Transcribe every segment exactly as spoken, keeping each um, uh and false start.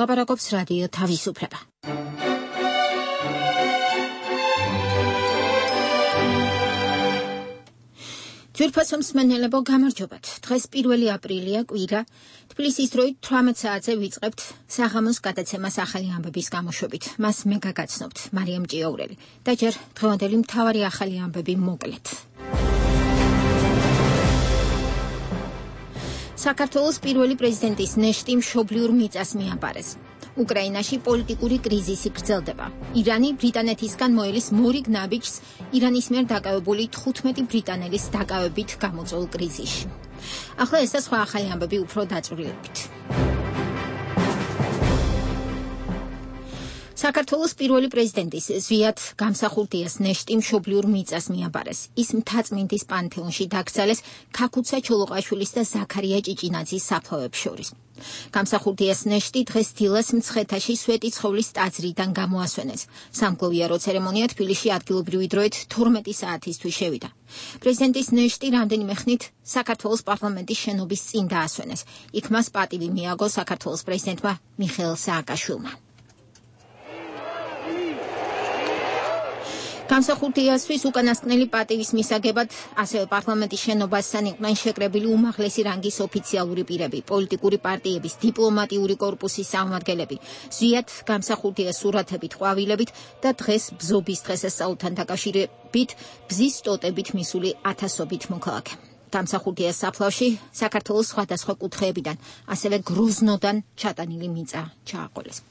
ლაპარაკობს რადიო თავისუფლება. ძვირფასო მსმენელებო, გამარჯობათ. დღეს პირველი აპრილია, კვირა. თბილისის დროით თვრამეტ საათზე ვიწყებთ საღამოს გადაცემას ახალი ამბების გამოშვებით. მას მე გაგაცნობთ, მარიამ ჭიაურელი. და ჯერ დღევანდელი მთავარი ახალი ამბები მოკლედ. საქართველოს პირველი პრეზიდენტის ნეშტი მშობლიურ მიწას მიაბარეს. უკრაინაში პოლიტიკური კრიზისი გრძელდება. ირანი ბრიტანეთისგან მოელის მორიგ ნაბიჯს ირანის მიერ დაკავებული თხუთმეტი ბრიტანელის დაკავებით გამოწვეულ კრიზისში. ახლა ეს და სხვა ახალი ამბები უფრო დაწვრილებით. საქართველოს პირველი პრეზიდენტის ზვიად გამსახურდიას ნეშტი მშობლიურ მიწას მიაბარეს. ის მთაწმინდის პანთეონში დაკრძალეს ქაქუცა ჩოლოყაშვილის და ზაქარია ჭიჭინაძის საფლავებს შორის. გამსახურდიას ნეშტი დღეს დილას მცხეთაში სვეტი ცხოვლის ტაძრიდან გამოასვენეს. სამგლოვიარო ცერემონია თბილისში ადგილობრივი დროით თორმეტი საათისთვის შევიდა. პრეზიდენტის ნეშტი რამდენიმე ხნით საქართველოს პარლამენტის შენობის წინ დაასვენეს. იქ მას პატივი მიაგო საქართველოს პრეზიდენტმა მიხეილ სააკაშვილმა. გამსახურდიასთვის უკანასკნელი პატივის მისაგებად ასევე პარლამენტის შენობასთან იყვნენ შეკრებილი უმაღლესი რანგის ოფიციალური პირები, პოლიტიკური პარტიების, დიპლომატიური კორპუსის წარმომადგენლები, ზვიად გამსახურდიას სურათებით, ყვავილებით და დღეს ბზობის დღესასწაულთან დაკავშირებით ბზის ტოტებით მისული ათასობით მოქალაქე. გამსახურდიას საფლავში საქართველოს სხვადასხვა კუთხეებიდან, ასევე გროზნოდან ჩატანილი მიწა ჩააყოლეს.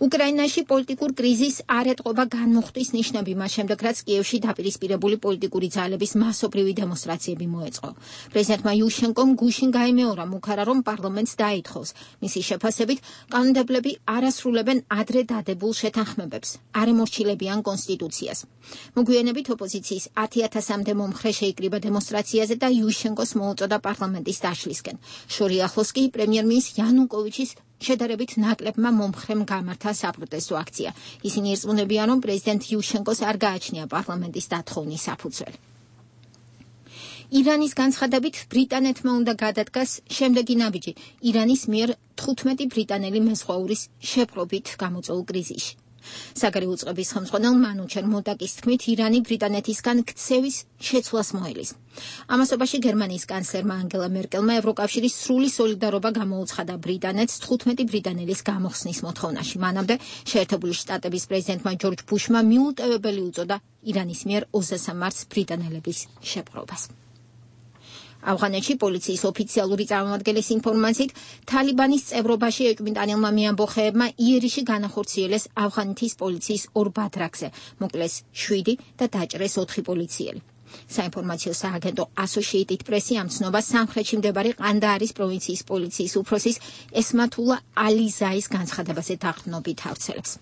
უკრაინაში პოლიტიკურ კრიზისს არ ეტყობა განმუხტვის ნიშნები მას შემდეგ, რაც კიევში დაპირისპირებული პოლიტიკური ძალების მასობრივი დემონსტრაციები მოეწყო. პრეზიდენტმა იუშენკომ გუშინ გაიმეორა მუქარა, რომ პარლამენტს დაითხოვს. მისი შეფასებით, კანონმდებლები არ ასრულებენ ადრე დადებულ შეთანხმებებს, არ ემორჩილებიან კონსტიტუციას. მოგვიანებით ოპოზიციის ათი ათასამდე მომხრე შეიკრიბა დემონსტრაციაზე და იუშენკოს მოუწოდა პარლამენტის დაშლისკენ. შორი ახლოს კი პრემიერ-მინისტრ იანუკოვიჩის შედარებით ნაკლებმა მომხრემ გამართა საპროტესტო აქცია. ისინი ირწმუნებიან, რომ პრეზიდენტ იუშენკოს არ გააჩნია პარლამენტის დათხოვნის საფუძველი. ირანის განცხადებით ბრიტანეთმა უნდა გადადგას შემდეგი ნაბიჯი ირანის მიერ თხუთმეტი ბრიტანელი მეზღვაურის შეპყრობით გამოწვეულ კრიზისში. საგარეო უწყების ხელმძღვანელ მანუჩერ მოდაკის თქმით, ირანი ბრიტანეთისგან ქცევის შეცვლას მოელის. ამასობაში გერმანიის კანცლერმა ანგელა მერკელმა ევროკავშირის სრული სოლიდარობა გამოუცხადა ბრიტანეთს თხუთმეტი ბრიტანელის გამოხსნის მოთხოვნაში. მანამდე შეერთებული შტატების პრეზიდენტმა ჯორჯ ბუშმა მიუტევებელი უწოდა ირანის მიერ ოცდასამ მარტს ბრიტანელების შეპყრობას. ავღანეთში პოლიციის ოფიციალური წარმომადგენლის ინფორმაციით, თალიბანის წევრობაში ეჭვმიტანილმა მეამბოხეებმა იერიში განახორციელეს ავღანეთის პოლიციის ორ ბადრაკზე, მოკლეს შვიდი და დაჭრეს ოთხი პოლიციელი. საინფორმაციო სააგენტო Associated Press-ი ამ ცნობას სამხრეთში მდებარე ყანდაარის პროვინციის პოლიციის უფროსის ესმათულა ალი-ზაის განცხადებაზე დაყრდნობით ავრცელებს.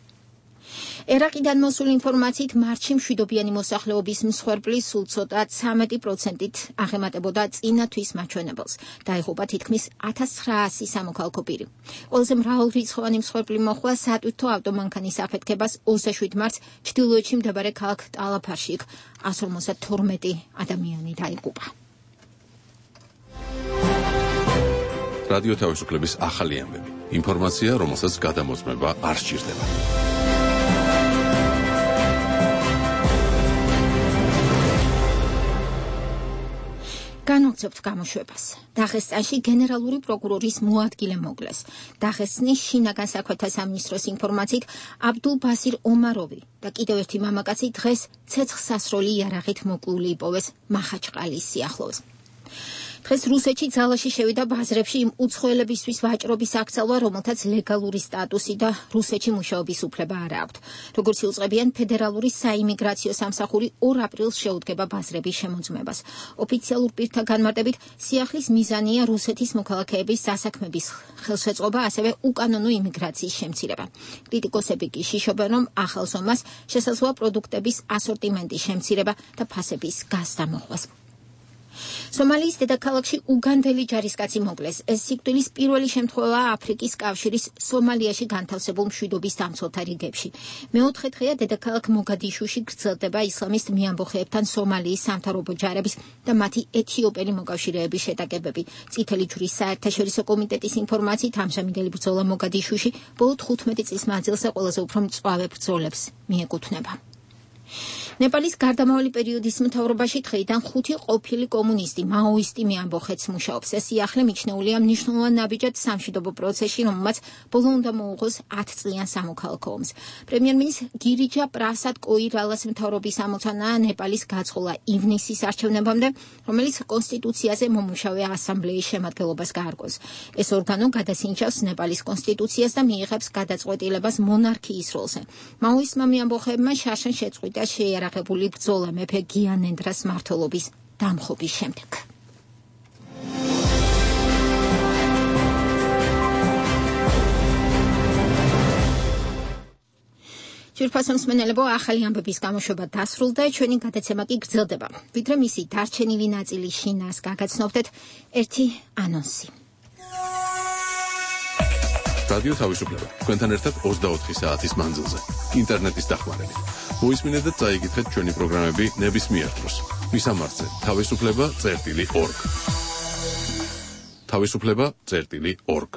ერაყიდან მოსული ინფორმაციით, მარტში მშვიდობიანი მოსახლეობის მსხვერპლის სულ ცოტა ცამეტი პროცენტით აღემატებოდა წინა თვის მაჩვენებელს. დაიღუპა თითქმის ათას ცხრაასი სამოქალაქო პირი. ყველაზე მრავალრიცხოვანი მსხვერპლი მოჰყვა სატვირთო ავტომანქანის აფეთქებას ოცდაშვიდ მარტს ჩრდილოეთში მდებარე ქალაქ ტალაფარში. იქ εκατს ორმოცდათორმეტი ადამიანი დაიღუპა. რადიო თავისუფლების ახალი ამბები. ინფორმაცია, რომელსაც გადამოწმება არ სჭირდება. განვცობთ გამოშვებას. დაღესტანში გენერალური პროკურორის მოადგილე მოკლეს. დაღესტნის შინაგან საქმეთა სამინისტროს ინფორმაციით, აბდულ ბასირ ომაროვი და კიდევ ერთი მამაკაცი დღეს ცეცხლსასროლი იარაღით მოკლული იპოვეს მახაჩყალის სიახლოვეს. დღეს რუსეთში ძალაში შევიდა ბაზრებში იმ უცხოელებისთვის ვაჭრობის აკრძალვა, რომელთაც ლეგალური სტატუსი და რუსეთში მუშაობის უფლება არ აქვთ. როგორც იუწყებიან, ფედერალური საიმიგრაციო სამსახური ორ აპრილს შეუდგება ბაზრების შემოწმებას. ოფიციალურ პირთა განმარტებით, სიახლის მიზანია რუსეთის მოქალაქეების სასაქმების ხელშეწყობა, ასევე უკანონო იმიგრაციის შემცირება. კრიტიკოსები კი შიშობენ, რომ ახალ ზომას შესაძლოა პროდუქტების ასორტიმენტის შემცირება და ფასების გაზრდა მოხვას. სომალიის დედაქალაქში უგანდელი ჯარისკაცი მოკლეს. ეს სიკვდილის პირველი შემთხვევაა აფრიკის კავშირის სომალიაში განთავსებულ მშვიდობის დამცველთა რიგებში. მეოთხე დღეა დედაქალაქ მოგადიშუში გრძელდება ისლამისტ მიამბოხეებთან სომალიის სამთავრობო ჯარების და მათი ეთიოპელი მოკავშირეების შეტაკებები. წითელი ჯვრის საერთაშორისო კომიტეტის ინფორმაციით ამჟამინდელი ბრძოლა მოგადიშუში ბოლო თხუთმეტი წლის მანძილზე ყველაზე უფრო მწვავე ბრძოლებს მიეკუთვნება. ნეპალის გარდამავალი პერიოდის მთავრობაში დღეიდან ხუთი ყოფილი კომუნისტი, მაოისტი მიამბოხეთს მუშაობს. ეს სიახლე მიჩნეულია მნიშვნელოვან ნაბიჯად სამშვიდობო პროცესში, რომელმაც ბოლო უნდა მოუღოს ათწლიან სამოქალაქო ომს. პრემიერ-მინისტრი გირიჯა პრასად კოირალას მთავრობის ამოცანაა ნეპალის გაწყოლა ივნისის არჩევნებამდე, რომელიც კონსტიტუციაზე მომუშავე ასამბლეის შემადგენლობას გაარკვევს. ეს ორგანო გადასინჯავს ნეპალის კონსტიტუციას და მიიღებს გადაწყვეტილებას მონარქიის როლზე. მაოისტმა მიამბოხეებმა შარშან შეწყვიტა შეიარაღებული ბრძოლა მეფე გიანენდრას მმართველობის დამხობის შემდეგ. ჯირფასო მსმენელებო, ახალი ამბების გამოშვება დასრულდა, ჩვენი გადაცემა კი გრძელდება. ვიდრე მისი დარჩენილი ნაწილი შინას გაგაცნობდეთ ერთი ანონსი. რადიო თავისუფლება თქვენთან ერთად ოცდაოთხი საათის მანძილზე ინტერნეტის დახმარებით. მოისმინეთ და წაიგეთ ჩვენი პროგრამები ნებისმიერ დროს. მისამართზე თავისუფლება წერტილი ორგ. თავისუფლება წერტილი ორგ.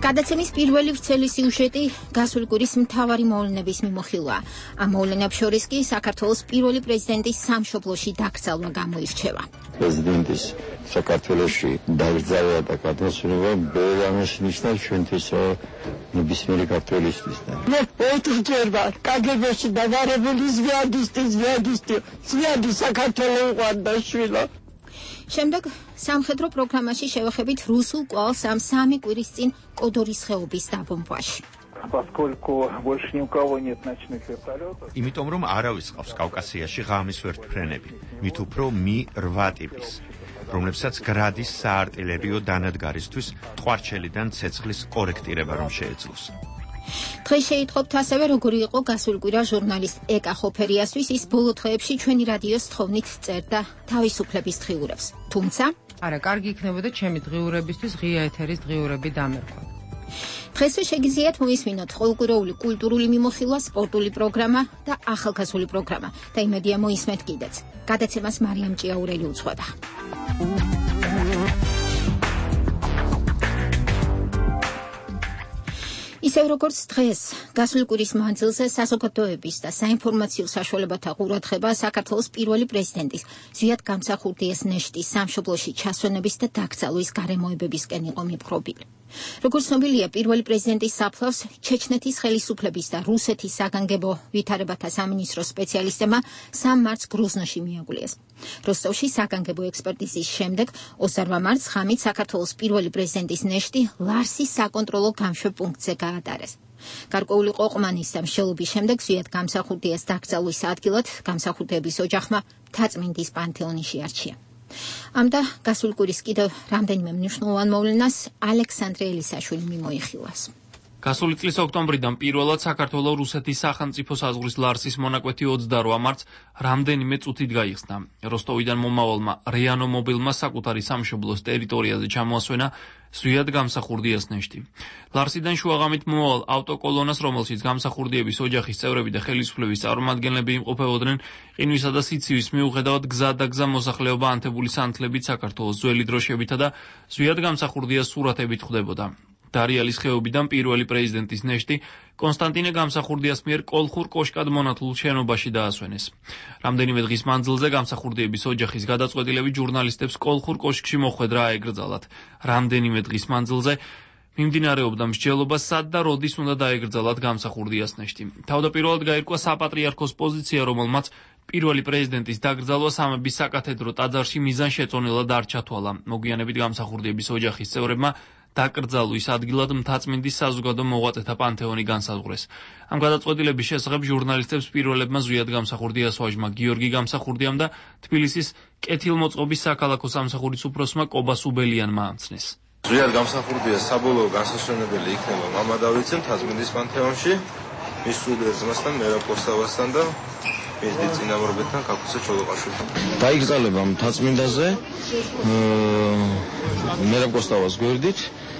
გადაცემის პირველი ვრცელი სიუჟეტი გასული კვირის მთავარი მოვლენების მიმოხილვაა. ამ მოვლენებს შორის კი საქართველოს პირველი პრეზიდენტის სამშობლოში დაკრძალვა გამოირჩევა. პრეზიდენტის საქართველოში დაკრძალვა და გადმოსვენება ბოლომის ნიშნავს ჩვენთვის ნებისმიერი ქართველისთვის. მე ოთხჯერ ვარ კაგებაში დავარებული ზვიადისტი ზვიადისტი ზვიადი საქართველო უყვარდა შვილო. შემდეგ სამხედრო პროგრამაში შევეხებით რუსულ კვალს ამ სამი კვირის წინ კოდორის ხეობის დაბომბვაში. იმიტომ რომ არავის ყავს კავკასიაში ღამის ვერტმფრენები, მით უფრო მი რვა ტიპის, რომლებსაც გრადის საარტილერიო დანადგარისთვის ტყვარჩელიდან ცეცხლის კორექტირება რომ შეეძლოს. დღეს შეიტყობთ ასევე როგორი იყო გასული კვირა ჟურნალისტ ეკა ხოფერიასთვის. ის ბოლო დღეებში ჩვენი რადიოს თხოვნით წერდა თავისუფლების დღიურებს. თუმცა არა, კარგი იქნებოდა ჩემი დღიურებისთვის ღია ეთერის დღიურები დამერქვა. დღესვე შეგიძლიათ მოისმინოთ ყოველკვირეული კულტურული მიმოხილვა, სპორტული პროგრამა და ახალგაზრდული პროგრამა და იმედია მოისმენთ კიდეც. გადაცემას მარიამ ჭიაურელი უძღვება. ისევ როგორც დღეს, გასული კვირის მანძილზე საზოგადოების და საინფორმაციო საშუალებათა ყურადღება საქართველოს პირველი პრეზიდენტის ზვიად გამსახურდიას ნეშტის სამშობლოში ჩასვენების და დაკრძალვის გარემოებებისკენ იყო მიპყრობილი. როგორც ცნობილია, პირველი პრეზიდენტის საფლავს ჩეჩნეთის ხელისუფლების და რუსეთის საგანგებო ვითარებათა სამინისტროს სპეციალისტებმა სამ მარტს გროზნოში მიაგულიეს. როსტოვში საგანგებო ექსპერტიზის შემდეგ ოცდაორმა მარტს ღამით საქართველოს პირველი პრეზიდენტის ნეშტი ლარსის საკონტროლო გამშვებ პუნქტზე გაატარეს. გარკვეული ყოყმანის და მსჯელობის შემდეგ ზვიად გამსახურდიას დაკრძალვის ადგილად გამსახურდიების ოჯახმა მთაწმინდის პანთეონში არჩია. ამ და გასული კვირის კიდევ რამდენიმე მნიშვნელოვან მოვლენას ალექსანდრე ელისაშვილი მიმოიხილავს. გასული წლის ოქტომბრიდან პირველად საქართველოს რუსეთის სახელმწიფო საზღვრის ლარსის მონაკვეთი ოცდაორმა მარტს რამდენიმე წუთით გაიხსნა. როსტოვიდან მომავალმა რეანო მობილმა საკუთარი სამშობლოს ტერიტორიაზე ჩამოასვენა ზვიად გამსახურდიას ნეშტი. ლარსიდან შუაღამით მომავალ ავტოკოლონას, რომელშიც გამსახურდიების ოჯახის წევრები და ხელისუფლების წარმომადგენლები იმყოფებოდნენ, ყინვისა და სიცივის მიუხედავად გზა და გზა მოსახლეობა ანთებული სანთლებით საქართველოს ძველი დროშებითა და ზვიად გამსახურდიას სურათებით ხვდებოდა. დარიალის ხეობიდან პირველი პრეზიდენტის ნეშტი კონსტანტინე გამსახურდიას მიერ კოლხურ კოშკად მონათლულ შენობაში დაასვენეს. რამდენიმე დღის მანძილზე გამსახურდიების ოჯახის გადაწყვეტილებით ჟურნალისტებს კოლხურ კოშკში მოხვედრა აეგრძალათ. რამდენიმე დღის მანძილზე მიმდინარეობდა მსჯელობა, სად და როდის უნდა დაეგრძალათ გამსახურდიას ნეშტი. თავდაპირველად გაირკვა საპატრიარქოს პოზიცია, რომელმაც პირველი პრეზიდენტის დაკრძალვა სამების საკათედრო ტაძარში მიზანშეწონილად არ ჩათვალა. მოგვიანებით გამსახურდიების ოჯახის წევრებმა დაკრძალვის ადგილად მთაწმინდის საზოგადო მოღვაწეთა პანთეონი განსაზღვრეს. ამ გადაწყვეტილების შესახებ ჟურნალისტებს პირველებმა ზვიად გამსახურდიას ვაჟმა გიორგი გამსახურდიამ და თბილისის კეთილმოწყობის საქალაქო სამსახურის უფროსმა კობა სუბელიანმა ამცნეს. ზვიად გამსახურდიას საბოლოო განსასვენებელი იქნება მამადავიცე მთაწმინდის პანთეონში მის სულიერ ძმასთან მერაბ კოსტავასთან და მის დიდ წინამორბედთან ქაქუცა ჩოლოყაშვილთან. დაიკრძალება მთაწმინდაზე მერაბ კოსტავას გვერდით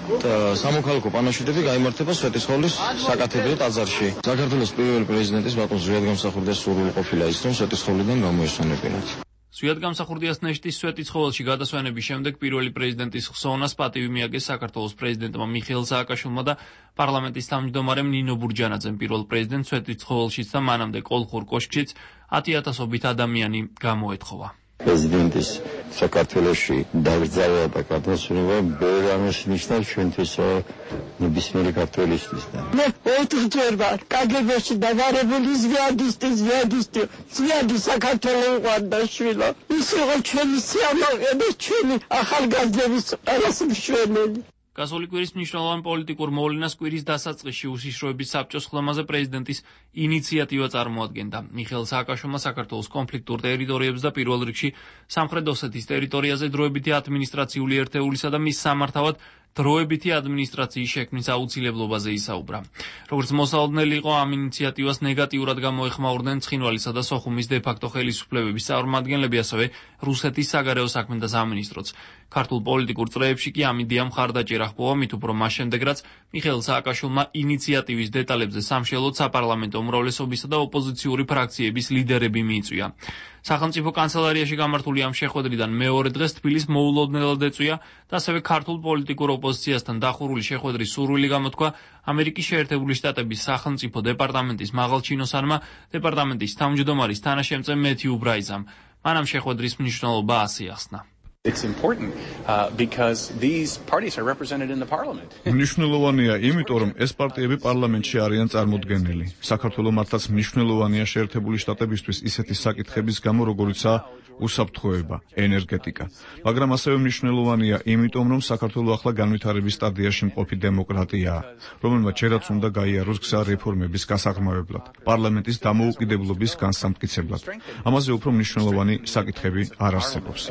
და სამოქალაქო პანაშვიდები გაიმართება სვეტიცხოვლის საკათედრო ტაძარში. საქართველოს პირველი პრეზიდენტის ბატონ ზვიადგამსახურდიას სურვილი ყოფილა ის, რომ სვეტიცხოვლიდან გამოესვენებინათ. ზვიადგამსახურდიას ნეშტის სვეტიცხოველში გადასვენების შემდეგ პირველი პრეზიდენტის ხსოვნას პატივი მიაგეს საქართველოს პრეზიდენტმა მიხეილ სააკაშვილმა და პარლამენტის თავმჯდომარემ ნინო ბურჯანაძემ. პირველ პრეზიდენტს სვეტიცხოველშიც და მანამდე კოლხურ კოშკშიც ათი ათასობით ადამიანი გამოეთხოვა. პრეზიდენტის საქართველოში დაგრძელება და გადასვენება ბევრ ამას ნიშნავს ჩვენთვის ნებისმიერი ქართველისთვის. მე ოთხჯერ ვარ კაგებაში დაგარებული ზვიადისტი ზვიადისტი ზვიადი საქართველოს უყვარდა შვილო. ის იყო ჩვენი სიამოვნე და ჩვენი ახალგაზრდების ყველას მშვენელი. გასული კვირის მნიშვნელოვან პოლიტიკურ მოვლენას კვირის დასაწყისში უსიშროების საბჭოს ხდომაზე პრეზიდენტის ინიციატივა წარმოადგენდა. მიხეილ სააკაშვილმა საქართველოს კონფლიქტურ ტერიტორიებს და პირველ რიგში სამხრეთ ოსეთის ტერიტორიაზე დროებითი ადმინისტრაციული ერთეულისა და მის სამართავად დროებითი ადმინისტრაციის შექმნის აუცილებლობაზე ისაუბრა. როგორც მოსალოდნელი იყო, ამ ინიციატივას ნეგატიურად გამოეხმაურდნენ ცხინვალისა და სოხუმის დე-ფაქტო ხელისუფლებების წარმომადგენლები, ასევე რუსეთის საგარეო საქმეთა სამინისტროც. ქართულ პოლიტიკურ წრეებში კი ამ იდეამ მხარდაჭერა ჰპოვა, მით უფრო მას შემდეგ, რაც მიხეილ სააკაშვილმა ინიციატივის დეტალებზე სამშელოდ საპარლამენტო უმრავლესობისა და ოპოზიციური ფრაქციების ლიდერები მიიწვია. სახელმწიფო კანცელარიაში გამართული ამ შეხვედრიდან მეორე დღეს თბილისს მოულოდნელად ეწვია და ასევე ქართულ პოლიტიკურ ოპოზიციასთან დახურული შეხვედრის სურვილი გამოთქვა ამერიკის შეერთებული შტატების სახელმწიფო დეპარტამენტის მაღალჩინოსანმა, დეპარტამენტის თავმჯდომარის თანაშემწე მეთიუ ბრაიზამ. მან ამ შეხვედრის მნიშვნელობა ასე ახსნა. It's important uh, because these parties are represented in the parliament. მნიშვნელოვანია, იმიტომ რომ ეს პარტიები პარლამენტში არიან წარმოდგენილი. საქართველოს მართლაც მნიშვნელოვანია შეერთებული შტატებისთვის ისეთი საკითხების გამო, როგორიცაა უსაფრთხოება, ენერგეტიკა. მაგრამ ასევე მნიშვნელოვანია, იმიტომ რომ საქართველოს ახლა განვითარების სტადიაში მყოფი დემოკრატიაა, რომელმაც ჯერაც უნდა გაიაროს გზა რეფორმების გასაღრმავებლად, პარლამენტის დამოუკიდებლობის განსამტკიცებლად. ამაზე უფრო მნიშვნელოვანი საკითხები არ არსებობს.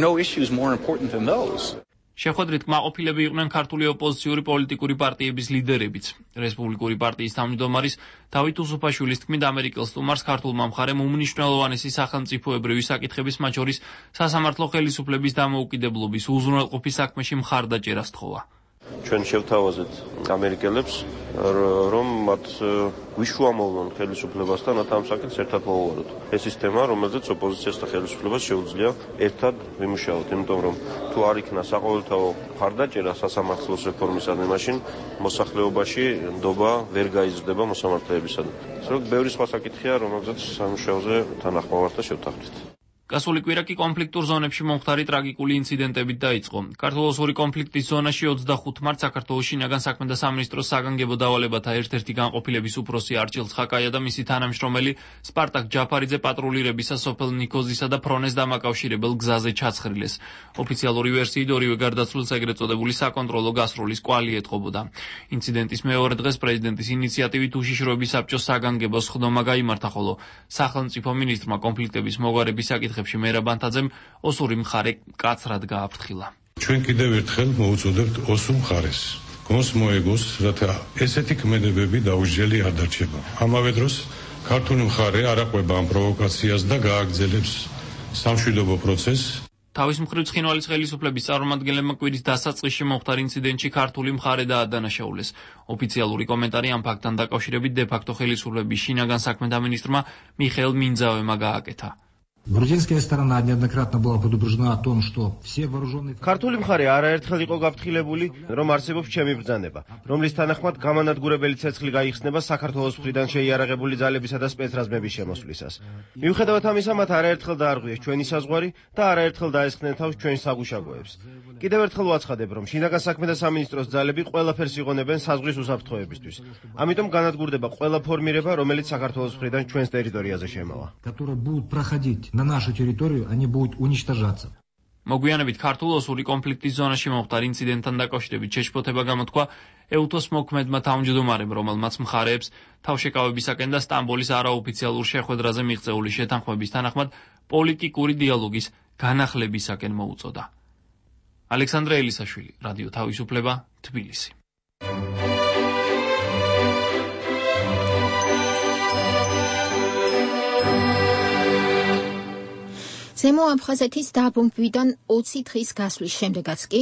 No issues more important than those. შეხვედრით კმაყოფილები იყვნენ ქართული ოპოზიციური პოლიტიკური პარტიების ლიდერებიც. რესპუბლიკური პარტიის თავმჯდომარის დავით უსუფაშვილის თქმით, ამერიკელ სტუმარს ქართულმა მხარემ უმნიშვნელოვანესი სახელმწიფოებრივი საკითხების, მათ შორის სასამართლო ხელისუფლების დამოუკიდებლობის უზრუნველყოფის საქმეში მხარდაჭერა სთხოვა. ჩვენ შევთავაზეთ ამერიკელებს, რომ მათ გვიშუამოვნონ ხელისუფლებასთან, რათა ამ საკითხს ერთად მოვუაროთ. ეს ის თემა, რომელზეც ოპოზიციას და ხელისუფლებას შეუძლია ერთად ვიმუშაოთ, იმიტომ რომ თუ არ იქნა საყოველთაო მხარდაჭერა სასამართლოს რეფორმისადმი, მაშინ მოსახლეობაში ნდობა ვერ გაიზრდება მოსამართლეებისადმი. ასე რომ ბევრი სხვა საკითხია, რომელზეც სამუშაოზე თანახმოვართ და შევთანხმდით. გასული კვირა კი კონფლიქტურ ზონებში მომხდარი ტრაგიკული ინციდენტებით დაიწყო. ქართულ-ოსური კონფლიქტის ზონაში ოცდახუთ მარტს საქართველოს შინაგან საქმეთა სამინისტროს საგანგებო დავალებათა ერთ-ერთი განყოფილების უფროსი არჩილ ცხაკაია და მისი თანამშრომელი სპარტაკ ჯაფარიძე პატრულირებისას სოფელ ნიქოზისა და ფრონეს დამაკავშირებელ გზაზე ჩაცხრილეს. ოფიციალური ვერსიით ორივე გარდაცვლილს ეგრეთ წოდებული საკონტროლო გასროლის კვალი ეტყობოდა. ინციდენტის მეორე დღეს პრეზიდენტის ინიციატივით უშიშროების საბჭოს საგანგებოს ხდომა გაიმართა, ხოლო სახელმწიფო მინისტრმა კონფლიქტების მოგვარების საკითხ მერაბ ანთაძემ ოსური მხარე კაცრად გააფრთხილა. ჩვენ კიდევ ერთხელ მოუწოდებთ ოსურ მხარეს. გონს მოეგოს, რათა ესეთი ქმედებები დაუჯელი არ დარჩება. ამავე დროს ქართული მხარე არ აყვება ამ პროვოკაციას და გააგრძელებს სამშვიდობო პროცესს. თავის მხრივ ცხინვალის ხელისუფლების წარმომადგენლებმა კვირის დასაწყისში მომხდარ ინციდენტში ქართული მხარე დაადანაშაულეს. ოფიციალური კომენტარი ამ ფაქტთან დაკავშირებით დე-ფაქტო ხელისუფლების შინაგან საქმეთა მინისტრმა მიხეილ მინძავემ გააკეთა. Грузинская сторона неоднократно была предупреждена о том, что все вооруженные... ქართული მხარე არაერთხელ იყო გაფრთხილებული, რომ არსებობს ჩემი ბრძანება, რომლის თანახმად გამანადგურებელი ცეცხლი გაიხსნება საქართველოს მხრიდან შეიარაღებული ძალებისა და სპეცრაზმების შემოსვლისას. მიუხედავად ამისა, მათ არაერთხელ დაარღვიეს ჩვენი საზღვარი და არაერთხელ დაესხნენ თავს ჩვენს საგუშაგოებს. კიდევ ერთხელ ვაცხადებ, რომ შინაგან საქმეთა სამინისტროს ძალები ყველაფერს იღონებენ საზღვრის უსაფრთხოებისთვის. ამიტომ განადგურდება ყველა ფორმირება, რომელიც საქართველოს მხრიდან ჩვენს ტერიტორიაზე შემოვა. которые будут проходить на нашу территорию, они будут уничтожаться. მოგვიანებით ქართულ-ოსური კონფლიქტის ზონაში მომხდარ ინციდენტთან დაკავშირებით შეშფოთება გამოთქვა ეუთოს მოქმედმა თავმჯდომარემ, რომელმაც მხარეებს თავშეკავებისაკენ და სტამბოლის არაოფიციალურ შეხვედრაზე მიღწეული შეთანხმების თანახმად პოლიტიკური დიალოგის განახლებისაკენ მოუწოდა. ალექსანდრე ელისაშვილი, რადიო თავისუფლება, თბილისი. ზემო აფხაზეთის დაბომბვიდან ოცი დღის გასვლის შემდეგაც კი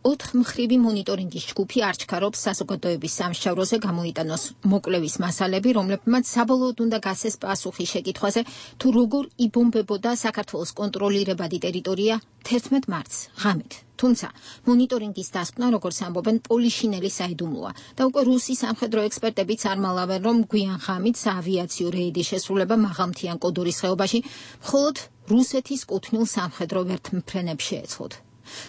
ოთხ მხრივი მონიტორინგის ჯგუფი არჩქარობს საზოგადოების სამსჯავროზე გამოიტანოს მოკვლევის მასალები, რომლებმაც საბოლოოდ უნდა გასცეს პასუხი შეკითხვაზე, თუ როგორ იბომბებოდა საქართველოს კონტროლირებადი ტერიტორია თერთმეტ მარტს ღამით. თუმცა მონიტორინგის დასკვნა, როგორც ამბობენ, პოლიშინელი საიდუმლოა და უკვე რუსი სამხედრო ექსპერტებიც არ მალავენ, რომ გვიან ღამით საავიაციო რეიდის შესრულება მაღალმთიან კოდორის ხეობაში მხოლოდ რუსეთის კუთვნილ სამხედრო ვერთმფრენებს შეეცვლათ.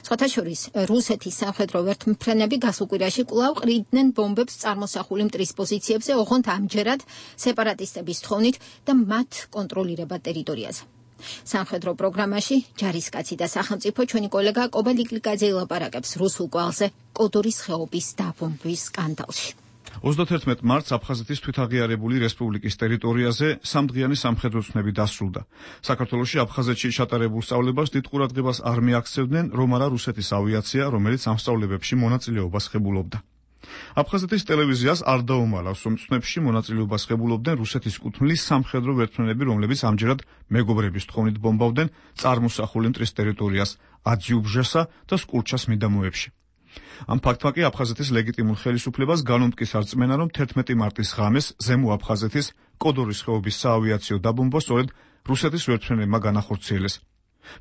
სხვათა შორის, რუსეთის სამხედრო ვერთმფრენები გასულ კვირაში კვლავ ყრიდნენ ბომბებს წარმოსახული მტრის პოზიციებზე, ოღონდ ამჯერად სეპარატისტების თხოვნით და მათ კონტროლირებად ტერიტორიაზე. სამხედრო პროგრამაში ჯარისკაცი და სახელმწიფო ჩვენი კოლეგა კობა ლიკლიკაძე ელაპარაკებს რუსულ კვალზე კოდორის ხეობის დაბომბვის სკანდალში. ოცდათერთმეტ მარტს აფხაზეთის თვითაღიარებული რესპუბლიკის ტერიტორიაზე სამდღიანი სამხედრო ცნები დასრულდა. საქართველოში აფხაზეთში ჩატარებულ სწავლებას დიდ ყურადღებას არ მიაქცევდნენ, რომ არა რუსეთის ავიაცია, რომელიც ამ სწავლებებში მონაწილეობას ხებულობდა. აფხაზეთის ტელევიზიას არ დაუმალავს, რომ ცნებში მონაწილეობას ხებულობდნენ რუსეთის კუთვნილი სამხედრო ვერთმფრენები, რომლებიც ამჯერად მეგობრების თხოვნით ბომბავდნენ წარმოსახული მტრის ტერიტორიას აძიუბჟესა და სკურჩას მიდამოებში. ამ ფაქტმა კი აფხაზეთის ლეგიტიმურ ხელისუფლებას განუმტკის არ წმენა, რომ თერთმეტი მარტის ღამეს ზემო აფხაზეთის კოდორის ხეობის საავიაციო დაბომბვა სწორედ რუსეთის ვერთმფრენებმა განახორციელეს.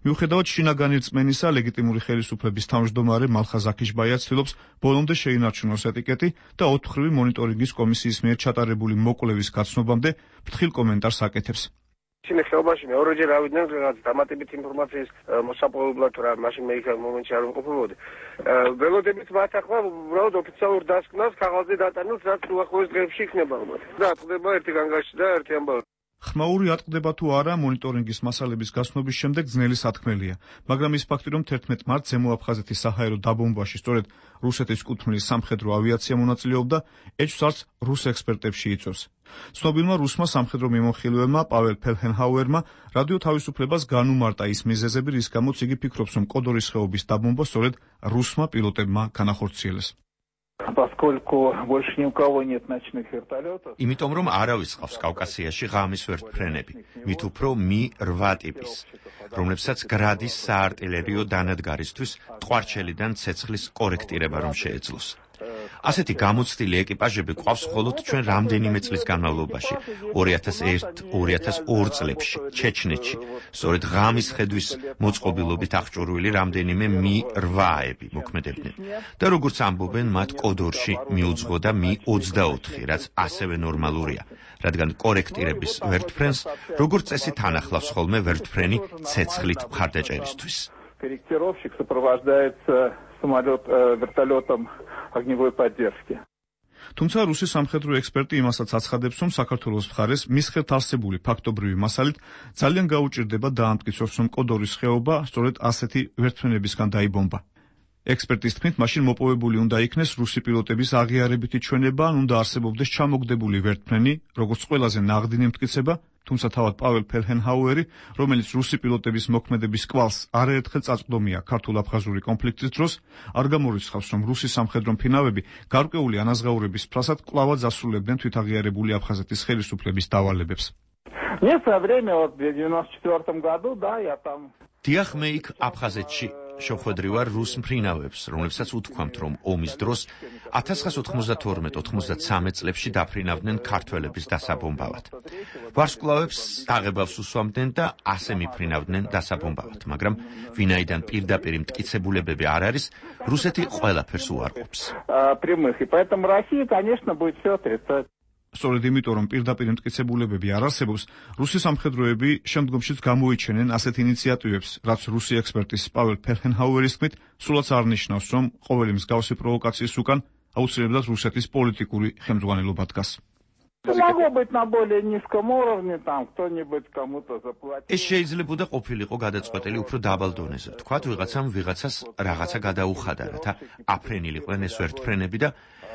მიუხედავად შინაგანი რწმენისა, ლეგიტიმური ხელისუფლების თავმჯდომარე მალხაზ აქიშბაია ცდილობს ბოლომდე შეინარჩუნოს ეტიკეტი და ოთხმხრივი მონიტორინგის კომისიის მიერ ჩატარებული მოკვლევის გაცნობამდე ფრთხილ კომენტარს აკეთებს. ისინი ხეობაში მეორეჯერ ავიდნენ რაღაც დამატებით ინფორმაციის მოსაპოვებლად, რა მაშინ მე იქ მომენტში არ ვიმყოფებოდი. ველოდებით მათ ახლა უბრალოდ ოფიციალურ დასკვნას ქაღალდზე დატანილს, რაც უახლოეს დღეებში იქნება ალბათ. და ატყდება ერთი განგაში და ერთი ამბავი. ხმაური ატყდება თუ არა მონიტორინგის მასალების გაცნობის შემდეგ ძნელი სათქმელია, მაგრამ ის ფაქტი, რომ თერთმეტ მარტს ზემო აფხაზეთის საჰაერო დაბომბვაში სწორედ რუსეთის კუთვნილი სამხედრო ავიაცია მონაწილეობდა, ეჭვს არც რუს ექსპერტებში იწვევს. ცნობილმა რუსმა სამხედრო მიმოხილველმა პაվել ფელჰენჰაუერმა რადიო თავისუფლებას განუმარტა ის მიზეზები, რის გამოც იგი ფიქრობს, რომ კოდორის ხეობის დაბომბვა სწორედ რუსმა პილოტებმა განახორციელეს. იმიტომ რომ არავის ყავს კავკასიაში ღამის ვერთფრენები, მით უფრო მი რვა ტიპის, რომლებსაც გრადის საარტილერიო დანადგარისთვის ტყვარჩელიდან ცეცხლის კორექტირება რომ შეეძლოს. ასეთი გამოცდილი ეკიპაჟები ყავს მხოლოდ ჩვენ რამდენიმე წლის განმავლობაში, ორი ათას ერთ ორი ათას ორ წლებში, ჩეჩნეთში, სწორედ ღამის ხედვის მოწყობილობით აღჭურვილი რამდენიმე მი რვაები მოქმედებდნენ. და როგორც ამბობენ, მათ კოდორში მიუძღოდა მი ოცდაოთხი, რაც ასევე ნორმალურია, რადგან კორექტირების ვერთფრენს როგორც წესი თან ახლავს ხოლმე ვერთფრენი ცეცხლით მხარდაჭერისთვის. Корректировщик сопровождается самолет вертолетом огневой поддержки. თუმცა რუსი სამხედრო ექსპერტი იმასაც აცხადებს, რომ საქართველოს მხარეს მის ხელთ არსებული ფაქტობრივი მასალით ძალიან გაუჭირდება დაამტკიცოს, რომ კოდორის ხეობა სწორედ ასეთი ვერთფრენებისგან დაიბომბა. ექსპერტის თქმით, მაშინ მოპოვებული უნდა იქნეს რუსი პილოტების აღიარებითი ჩვენება, ან უნდა არსებობდეს ჩამოგდებული ვერთფრენი, როგორც ყველაზე ნაღდილი მტკიცება, თუმცა თავად პაվել ფელჰენჰაუერი, რომელიც რუსი პილოტების მოქმედების კვალს არაერთხელ წაწყვდომია ქართულ-აფხაზური კონფლიქტის დროს, არ გამორიცხავს, რომ რუსი სამხედრო მფინავები გარკვეული ანაზღაურების ფრასად კვლავად ასრულებდნენ თვითაღიარებული აფხაზეთის ხელისუფლების დავალებებს. Мне в свое время, вот в девяносто четвёртом году, да, я там... დიახ, მე იქ აფხაზეთში შეხვედრივარ რუს მფრინავებს, რომლებსაც უთქვამთ, რომ ომის დროს ათას ცხრაასი ოცდათორმეტ ოცდათმეტ წლებში დაფრინავდნენ ქართველების დასაბომბავად. ვარსკვლავებს აღებავს უსვამდნენ და ასე მიფრინავდნენ დასაბომბავად, მაგრამ ვინაიდან პირდაპირ მტკიცებულებები არ არის, რუსეთი ყველაფერს უარყოფს. Прямых, и поэтому Россия, конечно, будет все отрицать. სწორედ იმიტომ, რომ პირდაპირ მტკიცებულებები არ არსებობს, რუსი სამხედროები შემდგომშიც გამოიჩენენ ასეთ ინიციატივებს, რაც რუსი ექსპერტის პაվել ფელჰენჰაუერის თქმით, სულაც არ ნიშნავს, რომ ყოველი მსგავსი პროვოკაციის უკან აუცილებლად რუსეთის პოლიტიკური ხელმძღვანელობა დგას. Могло быть на более низком уровне, там кто-нибудь кому-то заплатил. ეს შეიძლებოდა ყოფილიყო გადაწყვეტილი უფრო დაბალ დონეზე. თქვათ, ვიღაცამ ვიღაცას რაღაცა გადაუხადა, რათა აფრენილიყვნენ ეს ვერთფრენები და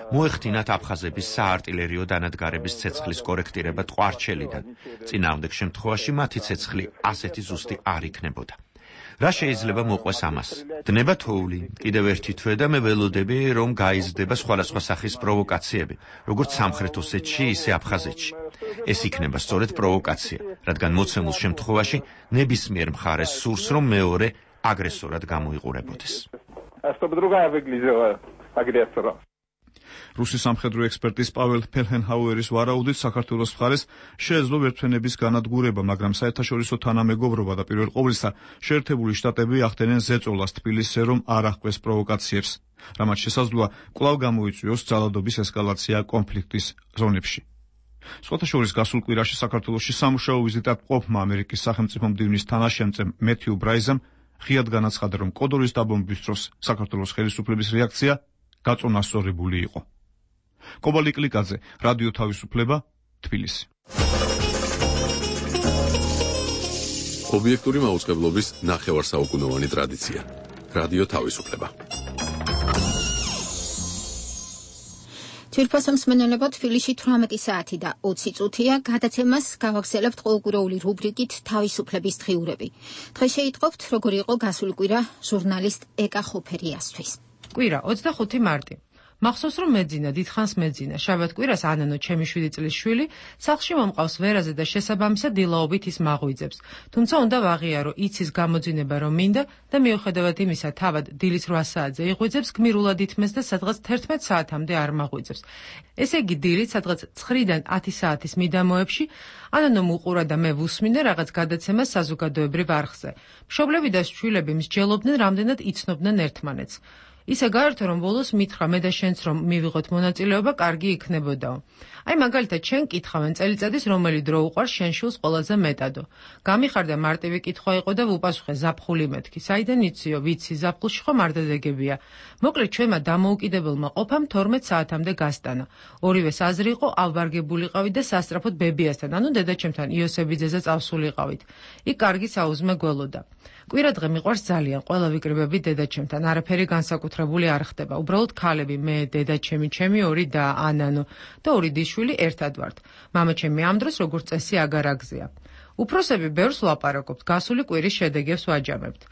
მოეხდინათ აფხაზების საარტილერიო დანადგარების ცეცხლის კორექტირება ტყვარჩელიდან. წინააღმდეგ შემთხვევაში მათი ცეცხლი ასეთი ზუსტი არ იქნებოდა. რა შეიძლება მოყვეს ამას? დნება თოვლი, კიდევ ერთი თვე და მე ველოდები, რომ გაიზრდება სხვადასხვა სახის პროვოკაციები, როგორც სამხრეთ ოსეთში, ისე აფხაზეთში. ეს იქნება სწორედ პროვოკაცია, რადგან მოცემულ შემთხვევაში ნებისმიერ მხარეს სურს, რომ მეორე აგრესორად გამოიყურებოდეს. რუსის სამხედრო ექსპერტის პაվել ფელჰენჰაუერის ვარაუდით საქართველოს მხარეს შეეძლო ვერთვენების განადგურება, მაგრამ საერთაშორისო თანამეგობრობა და პირველ ყოვლისა შეერთებული შტატები ახდენენ ზეწოლას თბილისზე, რომ არ აღკვეს პროვოკაციებს, რამაც შესაძლოა კვლავ გამოიწვიოს ძალადობის ესკალაცია კონფლიქტის ზონებში. სხვათა შორის გასულ კვირაში საქართველოში სამუშაო ვიზიტად მყოფმა ამერიკის სახელმწიფო მდივნის თანაშემწემ მეთიუ ბრაიზამ ღიად განაცხადა, რომ კოდორის დაბომბვის დროს საქართველოს ხელისუფლების რეაქცია გაწონასწორებული იყო. კობალი კლიკაძე, რადიო თავისუფლება, თბილისი. ობიექტური მაუწყებლობის ნახევარსაუკუნოვანი ტრადიცია. რადიო თავისუფლება. თვითფასო მსმენელებო, თბილისში თვრამეტი საათი და ოცი წუთია. გადაცემას გავაგრძელებთ ყოველკვირეული რუბრიკით თავისუფლების დღიურები. დღეს შეიტყობთ, როგორ იყო გასული კვირა ჟურნალისტ ეკა ხოფერიასთვის. კვირა ოცდახუთი მარტი. მახსოვს, რომ მეძინა, დიდხანს მეძინა. შაბათ კვირას ანანო, ჩემი შვიდი წლის შვილი, სახლში მომყავს ვერაზე და შესაბამისად დილაობით ის მაღვიძებს. თუმცა უნდა ვაღიარო იცის გამოძინება რომ მინდა და მიუხედავად იმისა, თავად დილის რვა საათზე იღვიძებს, გმირულად ითმეს და სადღაც თერთმეტ საათამდე არ მაღვიძებს. ესე იგი დილით სადღაც ცხრიდან ათი საათის მიდამოებში ანანო მუყურა და მე ვუსმინე რაღაც გადაცემას საზოგადოებრივ არხზე. მშობლები და შვილები მსჯელობდნენ, რამდენად იცნობდნენ ერთმანეთს. ისე გაერთო, რომ ბოლოს მითხრა მე და შენც რომ მივიღოთ მონაწილეობა, კარგი იქნებოდაო. აი მაგალითად, შენ კითხავენ წელიწადის რომელი დრო უყვარს შენ შვილს ყველაზე მეტადო. გამიხარდა მარტივი კითხვა იყო და ვუპასუხე ზაფხული მეთქი. საიდან იციო, ვიცი, ზაფხულში ხომ არ დადეგებია. მოკლედ ჩვენმა დამოუკიდებელმა ყოფამ თორმეტ საათამდე გასტანა. ორივეს აზრი იყო ავბარგებულიყავით და სასწრაფოდ ბებიასთან, ანუ დედაჩემთან იოსებიძეზე წავსულიყავით. იქ კარგი საუზმე გველოდა. კვირა დღე მიყვარს ძალიან, ყველა ვიკრიბები დედაჩემთან, არაფერი განსაკუთრებული არ ხდება. უბრალოდ ქალები, მე, დედაჩემი, ჩემი ორი და ანანო და ორი დიშვილი ერთად ვართ. მამაჩემი ამ დროს როგორც წესი აგარაგზია. უფროსები ბევრს ვლაპარაკობთ, გასული კვირის შედეგებს ვაჯამებთ.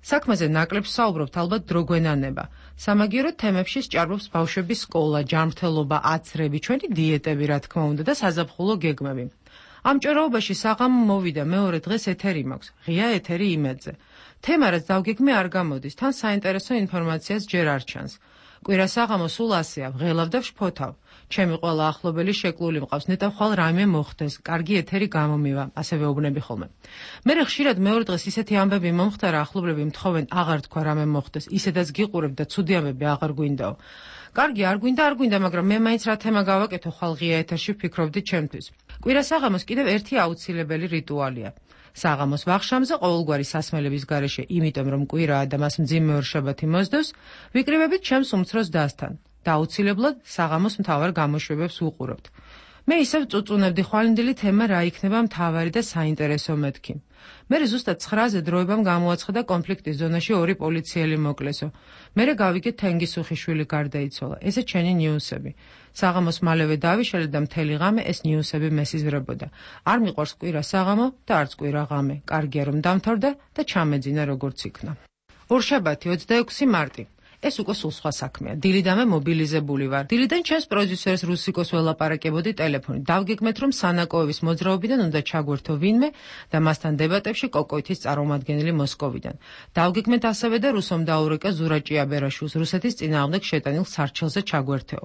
საქმეზე ნაკლებ საუბრობთ, ალბათ დრო გვენანება. სამაგიეროდ თემებში სჭარბობს ბავშვების სკოლა, ჯანმრთელობა, აცრები, ჩვენი დიეტები, რა თქმა უნდა და საზაფხულო გეგმები. ამ ჭორაობაში საღამო მოვიდა, მეორე დღეს ეთერი მაქვს, ღია ეთერი იმედზე. თემა რაც დავგეგმე არ გამოდის, თან საინტერესო ინფორმაციას ჯერ არ ჩანს. კვირა საღამო სულ ასეა, ვღელავ და ვშფოთავ. ჩემი ყველა ახლობელი შეკლული მყავს, ნეტა ხვალ რაიმე მოხდეს, კარგი ეთერი გამომივა, ასე ვეუბნები ხოლმე. მერე ხშირად მეორე დღეს ისეთი ამბები მომხდარა, ახლობლები მთხოვენ აღარ თქვა რამე მოხდეს, ისედაც გიყურებ და ცუდი ამბები აღარ გვინდაო. კარგი, არ გვინდა, არ გვინდა, მაგრამ მე მაინც რა თემა გავაკეთო, ხვალ ღია ეთერში ვფიქრობდი ჩემთვის. კვირა საღამოს კიდევ ერთი აუცილებელი რიტუალია. საღამოს ვახშამზე ყოველგვარი სასმელების გარეშე, იმიტომ რომ კვირაა და მას მძიმე ორშაბათი მოსდევს, ვიკრიბებით ჩემს უმცროს დასთან და აუცილებლად საღამოს მთავარ გამოშვებებს ვუყურებთ. მე ისევ წუწუნებდი ხვალინდელი თემა რა იქნება მთავარი და საინტერესო მეთქი. მერე ზუსტად ცხრაზე დროებამ გამოაცხადა კონფლიქტის ზონაში ორი პოლიციელი მოკლესო. მერე გავიგე თენგისუხიშვილი გარდაიცვალა. ესე ჩენი ნიუსები. საღამოს მალევე დავიშალე და მთელი ღამე ეს ნიუსები მესიზრებოდა. არ მიყვარს კვირა საღამო და არც კვირა ღამე. კარგია რომ დამთავრდა და ჩამეძინა როგორც იქნა. ორშაბათი ოცდაექვსი მარტი. ეს უკვე სულ სხვა საქმეა. დილიდანვე მობილიზებული ვარ. დილიდან ჩემს პროდიუსერს რუსიკოს ველაპარაკებოდი ტელეფონით. დავგეგმეთ, რომ სანაკოევის მოძრაობიდან უნდა ჩაგვერთო ვინმე და მასთან დებატებში კოკოითის წარმომადგენელი მოსკოვიდან. დავგეგმეთ ასევე და რუსომ დაურეკა ზურა ჭიაბერაშვილს რუსეთის წინააღმდეგ შეტანილ სარჩელზე ჩაგვერთეო.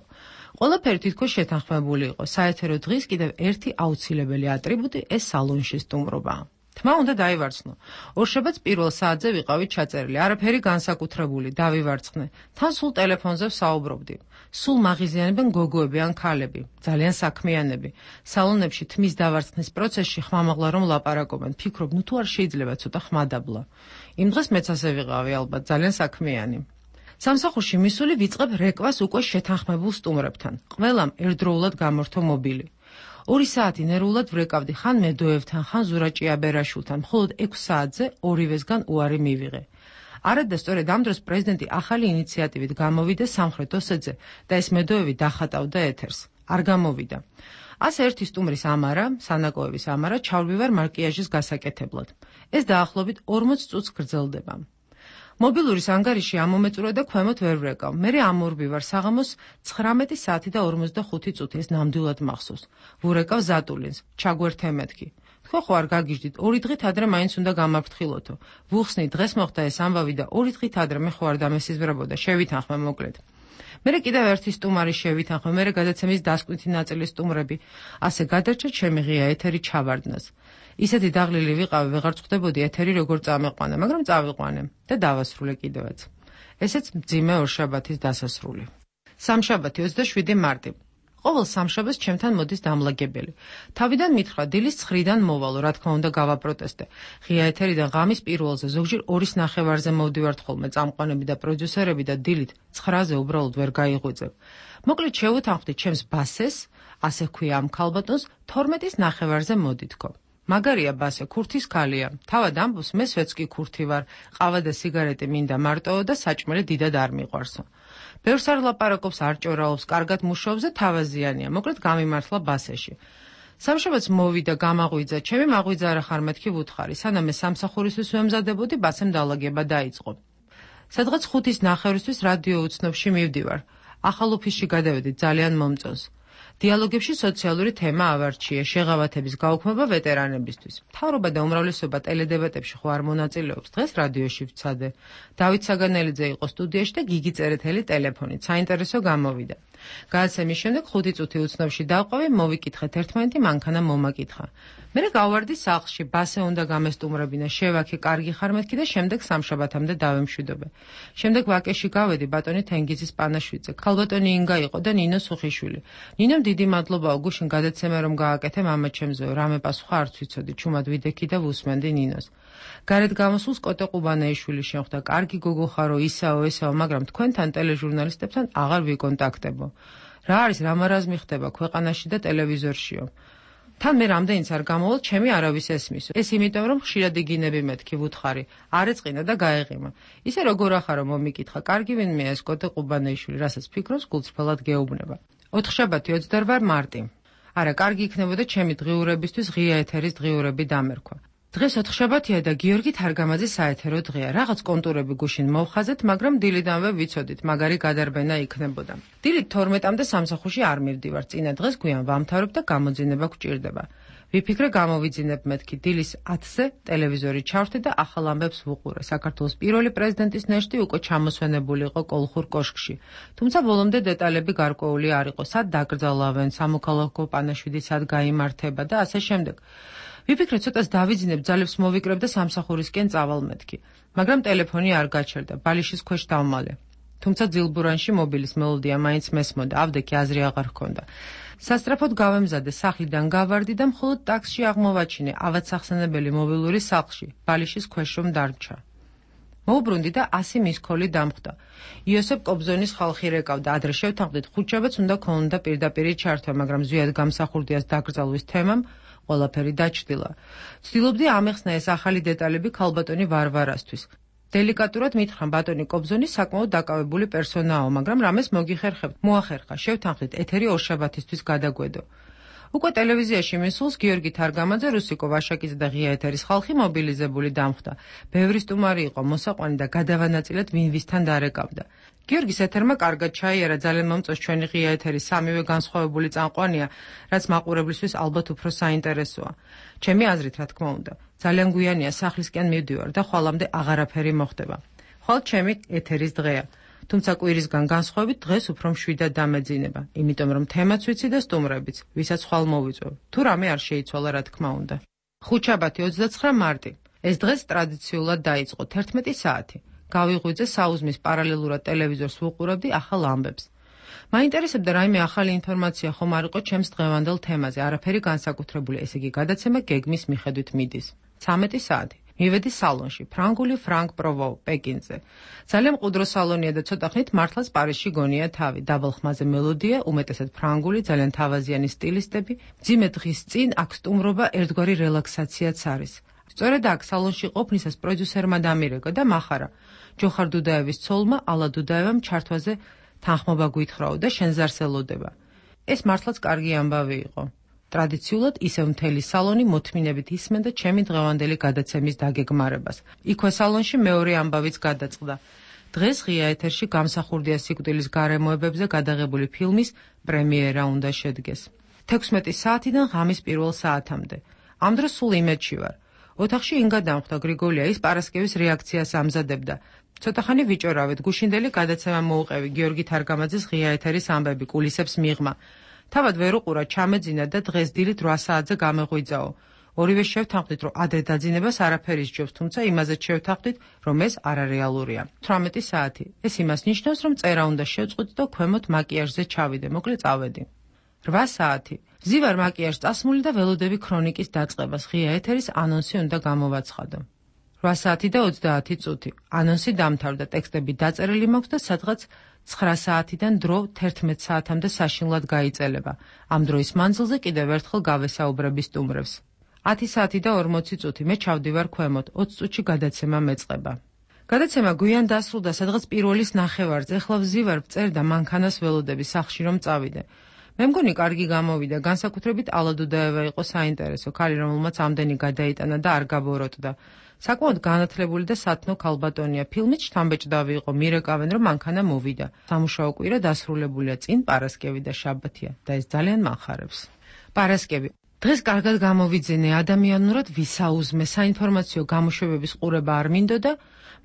ყველაფერი თითქოს შეთანხმებული იყო. საეთერო დღის კიდევ ერთი აუცილებელი ატრიბუტი ეს სალონში სტუმრობაა. თმა უნდა დაივარცხნო. ორშაბათს პირველ საათზე ვიყავით ჩაწერილი, არაფერი განსაკუთრებული, დავივარცხნე. თან სულ ტელეფონზე ვსაუბრობდი. სულ მაღიზიანებენ გოგოები ან ქალები, ძალიან საქმიანები. სალონებში თმის დავარცხნის პროცესში ხმამაღლა რომ ლაპარაკობენ, ფიქრობ, ნუ თუ არ შეიძლება ცოტა ხმადაბლა. იმ დღეს მეც ასე ვიყავი, ალბათ, ძალიან საქმიანი. სამსახურში მისული ვიწყებ რეკვას უკვე შეთანხმებულ სტუმრებთან. ყველამ ერთდროულად გამორთო მობილი. ორი საათი ნერვულად ვრეკავდი ხან მედოევთან, ხან ზურა ჭიაბერაშვილთან, მხოლოდ ექვს საათზე ორივესგან უარი მივიღე. არადა სწორედ ამ დროს პრეზიდენტი ახალი ინიციატივით გამოვიდა სამხრეთ ოსეთზე და ეს მედოევი დახატავდა ეთერს. არ გამოვიდა. ასე ერთი სტუმრის ამარა, სანაკოევის ამარა, ჩავლივარ მარკიაჟის გასაკეთებლად. ეს დაახლოებით ორმოც წუთს გრძელდება. მობილურის ანგარიში ამომეწურა და ქვემოთ ვერ ვრეკავ. მერე ამურბი ვარ საღამოს ცხრამეტი საათი და ორმოცდახუთი წუთი, ეს ნამდვილად მახსოვს. ვურეკავ ზატულინს, ჩაგვერთე მეთქი. თქვენ ხო არ გაგიჟდით, ორი დღით ადრე მაინც უნდა გამაფრთხილოთო. ვუხსნი, დღეს მოხდა ეს ამბავი და ორი დღით ადრე მე ხო არ დამესიზმრებოდა, შევითანხმე მოკლედ. მერე კიდევ ერთი სტუმარი შევითანხმე, მერე გადაცემის დასკვნითი ნაწილის სტუმრები. ასე გადარჩა ჩემი ღია ეთერი ჩავარდნას. ისეთი დაღლილი ვიყავი, ვეღარ წხვდებოდი ეთერი როგორ წამეყვანა, მაგრამ წავიყვანე და დავასრულე კიდევაც. ესეც მძიმე ორშაბათის დასასრული. სამშაბათი ოცდაშვიდი მარტი. ყოველ სამშაბათს ჩემთან მოდის დამლაგებელი. თავიდან მითხრა დილის ცხრიდან მოვალო, რა თქმა უნდა გავაპროტესტე. ღია ეთერიდან ღამის პირველზე ზოგჯერ ორის ნახევარზე მოვდივართ ხოლმე წამყვანები და პროდიუსერები და დილით ცხრაზე უბრალოდ ვერ გაიღვიძებ. მოკლედ შევუთანხმდით ჩემს ბასეს, ასე ჰქვია ამ ქალბატონს, თორმეტის ნახევარზე მოდითქო. მაგარია ბასე, ქურთის ქალია. თავად ამბობს, მე სვეტს კი ქურთი ვარ. ყავა და სიგარეტი მინდა მარტოო და საჭმელი დიდად არ მიყვარსო. ბევრს არ ლაპარაკობს, არ ჭორაობს, კარგად მუშაობს და თავაზიანია. მოკლედ გამიმართლა ბასეში. სამშაბათს მოვიდა, გამაღვიძა, ჩემი მაღვიძა არა ხარ მეთქი ვუთხარი. სანამ მე სამსახურისთვის ვემზადებოდი, ბასემ დალაგება დაიწყო. სადღაც ხუთის ნახევრისთვის რადიო უცნობში მივდივარ. ახალ ოფისში გადავედი, ძალიან მომწონს. დიალოგებში სოციალური თემა ავარჩიე, შეღავათების გაუქმება ვეტერანებისთვის. მთავრობა და უმრავლესობა ტელედებატებში ხო არ მონაწილეობს, დღეს რადიოში ვცადე. დავით საგანელიძე იყო სტუდიაში და გიგი წერეთელი ტელეფონით, საინტერესო გამოვიდა. გადაცემის შემდეგ ხუთი წუთი უცნობში დავყავი, მოვიკითხეთ ერთმანეთი, მანქანა მომაკითხა. მერე გავვარდი სახლში, ბასე უნდა გამესტუმრებინა, შევაქე, კარგი ხარ მეთქი და შემდეგ სამშაბათამდე დავემშვიდობე. შემდეგ ვაკეში გავედი ბატონი თენგიზის პანაშვიდზე, ქალბატონი ინგა იყო და ნინო სუხიშვილი. ნინომ დიდი მადლობაო გუშინ გადაცემა რომ გააკეთე მამა ჩემზეო, რამე პასუხა არც ვიცოდი, ჩუმად ვიდექი და ვუსმენდი ნინოს. გარეთ გამოსულს კოტე ყუბანეიშვილი შემხვდა, კარგი გოგო ხარო, ისაო, ესაო, მაგრამ თქვენთან ტელეჟურნალისტებთან აღარ ვიკონტაქტებო. რა არის, რამარაზმი ხდება ქვეყანაში და ტელევიზორშიო. თან მე რამდენიც არ გამოვალ, ჩემი არავის ესმისო. ეს იმიტომ რომ ხშირად იგინები მეთქი ვუთხარი, არ ეწყინა და გაეღიმა. ისე როგორ ახარო მომიკითხა, კარგი ვინმეა ეს კოტე ყუბანეიშვილი, რასაც ფიქრობს გულწრფელად გეუბნება. ოთხშაბათი ოცდაორი მარტი. არა, კარგი იქნებოდა ჩემი დღიურებისთვის ღია ეთერის დღიურები დამერქვა. დღეს ოთხშაბათია და გიორგი თარგამაძის საეთერო დღეა. რაღაც კონტურები გუშინ მოვხაზეთ, მაგრამ დილიდანვე ვიცოდით, მაგარი გადარბენა იქნებოდა. დილით თორმეტამდე სამსახურში არ მივდივარ, წინა დღეს გვიან ვამთავრებ და გამოძინება გვჭირდება. ვიფიქრე გამოვიძინებ მეთქი, დილის ათზე ტელევიზორი ჩავრთე და ახალ ამბებს ვუყურე. საქართველოს პირველი პრეზიდენტის ნეშტი უკვე ჩამოსვენებული იყო კოლხურ კოშკში. თუმცა ბოლომდე დეტალები გარკვეული არ იყო, სად დაკრძალავენ, სამოქალაქო პანაშვიდი სად გაიმართება და ასე შემდეგ. ვიფიქრე ცოტას დავიძინებ, ძალებს მოვიკრებ და სამსახურისკენ წავალ მეთქი. მაგრამ ტელეფონი არ გაჩერდა, ბალიშის ქვეშ დავმალე. თუმცა ძილბურანში მობილის მელოდია მაინც მესმოდა, ავდექი აზრი აღარ ჰქონდა. სასწრაფოდ გავემზადე, სახლიდან გავარდი და მხოლოდ ტაქსში აღმოვაჩინე ავადსახსენებელი მობილური სახლში, ბალიშის ქვეშ რომ დარჩა. მოვუბრუნდი და ასი მისქოლი დამხვდა. იოსებ კობზონის ხალხი რეკავდა, ადრე შევთანხმდით, ხუთშაბათს უნდა ქონოდა პირდაპირი ჩართვა, მაგრამ ზვიად გამსახურდიას დაკრძალვის თემამ ყველაფერი დაჩრდილა. ვცდილობდი ამეხსნა ეს ახალი დეტალები ქალბატონი ვარვარასთვის. დელიკატურად მითხრა ბატონი კობზონი საკმაოდ დაკავებული პერსონაო, მაგრამ რამეს მოგიხერხებთ, მოახერხა, შევთანხმდით ეთერი ორშაბათისთვის გადაგვედო. უკვე ტელევიზიაში მისულს გიორგი თარგამაძე, რუსიკო ვაშაკიძე და ღია ეთერის ხალხი მობილიზებული დამხვდა. ბევრი სტუმარი იყო მოსაყვანი და გადავანაწილეთ ვინ ვისთან დარეკავდა. გიორგის ეთერმა კარგად ჩაიარა, ძალიან მომწონს ჩვენი ღია ეთერი, სამივე განსხვავებული წამყვანია, რაც მაყურებლისთვის ალბათ უფრო საინტერესოა. ჩემი აზრით, რა თქმა უნდა, ძალიან გვიანია სახლისკენ მივდივარ და ხვალამდე აღარაფერი მოხდება. ხვალ ჩემი ეთერის დღეა. თუმცა კვირისგან განსხვავებით დღეს უფრო მშვიდად დამეძინება, იმიტომ რომ თემაც ვიცი და სტუმრებიც, ვისაც ხვალ მოვიწვევ. თუ რამე არ შეიცვალა, რა თქმა უნდა. ხუთშაბათი ოცდაცხრა მარტი. ეს დღეს ტრადიციულად დაიწყო თერთმეტი საათი. გავიღვიძე საუზმის პარალელურად ტელევიზორს ვუყურებდი ახალ ამბებს. მაინტერესებდა რაიმე ახალი ინფორმაცია ხომ არ იყო ჩემს დღევანდელ თემაზე, არაფერი განსაკუთრებული, ესე იგი გადაცემა გეგმის მიხედვით მიდის. ცამეტი საათი. მივედი სალონში, ფრანგული ფრანგ პროვო, პეკინზე. ძალიან მყუდრო სალონია და ცოტა ხნით მართლაც პარიზში გონია თავი. დაბალ ხმაზე მელოდია, უმეტესად ფრანგული, ძალიან თავაზიანი სტილისტები. მძიმე დღის წინ აქ სტუმრობა ერთგვარი რელაქსაციაც არის. სწორედ აქ სალონში ყოფნისას პროდიუსერმა დამირეკა და მახარა. ჯოხარ დუდაევის ცოლმა, ალა დუდაევამ ჩართვაზე თანხმობა გვითხრაო და შენ ზარს ელოდება. ეს მართლაც კარგი ამბავი იყო. ტრადიციულად ისევ მთელი სალონი მოთმინებით ისმენდა ჩემი დღევანდელი გადაცემის დაგეგმარებას. იქვე სალონში მეორე ამბავიც გადაწყდა. დღეს ღია ეთერში გამსახურდია სიკვდილის გარემოებებზე გადაღებული ფილმის პრემიერა უნდა შედგეს. თექვსმეტი საათიდან ღამის პირველ საათამდე. ამ დროს სულ იმედში ვარ. ოთახში ინგა დამხვდა გრიგოლია, ის პარასკევის რეაქციას ამზადებდა. ცოტახანი ვიჭორავეთ, გუშინდელი გადაცემა მოუყევი გიორგი თარგამაძის ღია ეთერის ამბები კულისებს მიღმა. თავად ვერ უყურა, ჩამეძინა და დღეს დილით რვა საათზე გამეღვიძაო. ორივე შევთანხმდით, რომ ადრე დაძინებას არაფერი სჯობს, თუმცა იმაზეც შევთანხმდით, რომ ეს არარეალურია. თვრამეტი საათი. ეს იმას ნიშნავს, რომ წერა უნდა შევწყვიტ და ქვემოთ მაკიაჟზე ჩავიდე, მოკლე წავედი. რვა საათი. ვზივარ მაკიაჟს წასმული და ველოდები ქრონიკის დაწყებას, ღია ეთერის ანონსი უნდა გამოვაცხადო. რვა საათი და ოცდაათი წუთი. ანონსი დამთავრდა, ტექსტები დაწერილი მაქვს და სადღაც ცხრა საათიდან დრო თერთმეტ საათამდე საშინლად გაიწელება. ამ დროის მანძილზე კიდევ ერთხელ გავესაუბრები სტუმრებს. ათი საათი და ორმოცი წუთი. მე ჩავდივარ ქვემოთ, ოცი წუთში გადაცემა მეწყება. გადაცემა გვიან დასრულდა, სადღაც პირველის ნახევარზე. ეხლა ვზივარ, ვწერ და მანქანას ველოდები სახლში რომ წავიდე. მე მგონი კარგი გამოვიდა, განსაკუთრებით ალადუდაევა იყო საინტერესო, ქალი რომელმაც ამდენი გადაიტანა და არ გაბოროტდა. საკმაოდ განათლებული და სათნო ქალბატონია. ფილმით შთამბეჭდავი იყო, მირეკავენ რომ მანქანა მოვიდა. სამუშაო კვირა დასრულებულია, წინ პარასკევი და შაბათია და ეს ძალიან მახარებს. პარასკევი. დღეს კარგად გამოვიძენე, ადამიანურად ვისაუზმე, საინფორმაციო გამოშვებების ყურება არ მინდოდა,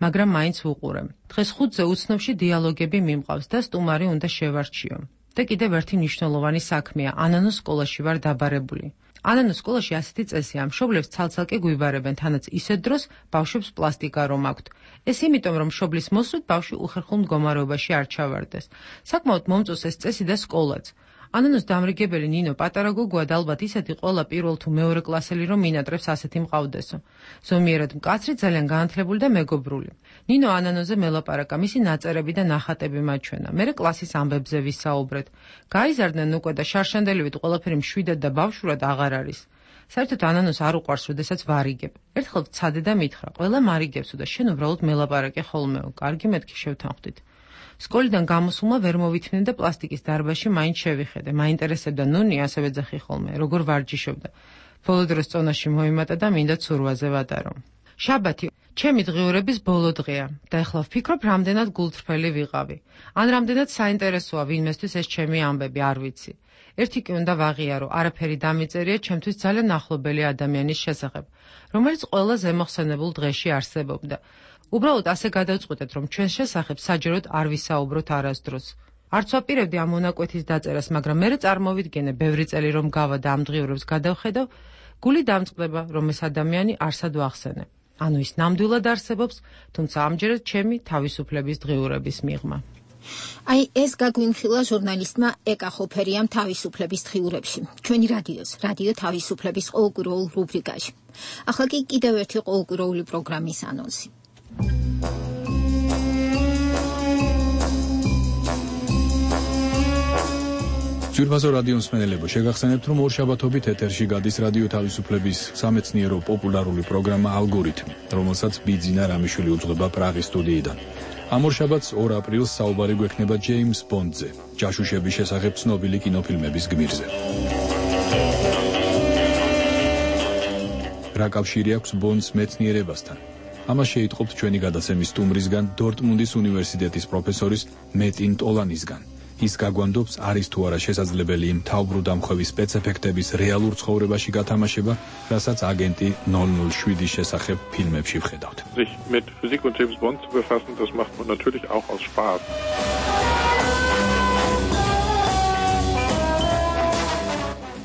მაგრამ მაინც ვუყურე. დღეს ხუთზე უცნობში დიალოგები მიმყავს და სტუმარი უნდა შევარჩიო. და კიდევ ერთი მნიშვნელოვანი საქმეა, ანანოს სკოლაში ვარ დაბარებული. ანანოს სკოლაში ასეთი წესია, მშობლებს ცალ-ცალკე გვიბარებენ, თანაც ისეთ დროს ბავშვებს პლასტიკა რომ აქვთ. ეს იმიტომ, რომ მშობლის მოსვლით ბავშვი უხერხულ მდგომარეობაში არ ჩავარდეს. საკმაოდ მომწონს ეს წესი და სკოლაც. ანანოს დამრიგებელი ნინო პატარა გოგოა და ალბათ ისეთი ყველა პირველ თუ მეორე კლასელი რომ მინატრებს ასეთი მყავდესო. ზომიერად მკაცრი, ძალიან განათლებული და მეგობრული. ნინო ანანოზე მელაპარაკა, მისი ნაწერები და ნახატები მაჩვენა. მერე კლასის ამბებზე ვისაუბრეთ. გაიზარდნენ უკვე და შარშანდელივით ყველაფერი მშვიდად და ბავშვურად აღარ არის. საერთოდ ანანოს არ უყვარს, როდესაც ვარიგებ. ერთხელ ვცადე და მითხრა, ყველა მარიგებსო და შენ უბრალოდ მელაპარაკე ხოლმეო. კარგი, მეთქი შევთანხმდით. სკოლიდან გამოსულმა ვერ მოვითმნე და პლასტიკის დარბაზში მაინც შევიხედე. მაინტერესებდა ნუნი, ასევე ძახი ხოლმე, როგორ ვარჯიშობდა. ბოლო დროს წონაში მოიმატა და მინდა ცურვაზე ვატარო. შაბათი, ჩემი დღიურების ბოლო დღეა და ეხლა ვფიქრობ, რამდენად გულწრფელი ვიყავი. ან რამდენად საინტერესოა ვინმესთვის ეს ჩემი ამბები, არ ვიცი. ერთი კი უნდა ვაღიარო, არაფერი დამიწერია ჩემთვის ძალიან ახლობელი ადამიანის შესახებ, რომელიც ყველა ზემოხსენებულ დღეში არსებობდა. უბრალოდ ასე გადავწყვეტეთ, რომ ჩვენს შესახებ საჯაროდ არ ვისაუბროთ არასდროს. არც ვაპირებდი ამ მონაკვეთის დაწერას, მაგრამ მერე წარმოვიდგენე, ბევრი წელი რომ გავა და ამ დღიურებს გადავხედავ, გული დამწყდება, რომ ეს ადამიანი არსად ვახსენე. ანუ ის ნამდვილად არსებობს, თუმცა ამჯერად ჩემი თავისუფლების დღიურების მიღმა. აი ეს გაგვინხილა ჟურნალისტმა ეკა ხოფერიამ თავისუფლების დღიურებში, ჩვენი რადიოს, რადიო თავისუფლების ყოველკვირეულ რუბრიკაში. ახლა კი კიდევ ერთი ყოველკვირეული პროგრამის ანონსი. ძვირფასო რადიო მსმენელებო, შეგახსენებთ, რომ ორშაბათობით ეთერში გადის რადიო თავისუფლების სამეცნიერო პოპულარული პროგრამა ალგორითმი, რომელსაც ბიძინა რამიშვილი უძღვება პრაღის სტუდიიდან. ამ ორშაბათს ორ აპრილს საუბარი გვექნება ჯეიმს ბონდზე, ჯაშუშების შესახებ ცნობილი კინოფილმების გმირზე. რა კავშირი აქვს ბონდს მეცნიერებასთან? ამას შეიტყობთ ჩვენი გადაცემის სტუმრისგან, დორტმუნდის უნივერსიტეტის პროფესორის მეტინ ტოლანისგან. ის გაგვანდობს, არის თუ არა შესაძლებელი იმ თავბრუდამხვევის სპეცეფექტების რეალურ ცხოვრებაში გათამაშება, რასაც აგენტი null null sieben შესახებ ფილმებში ვხედავთ. Sich mit Physik und James Bond zu befassen, das macht man natürlich auch aus Spaß.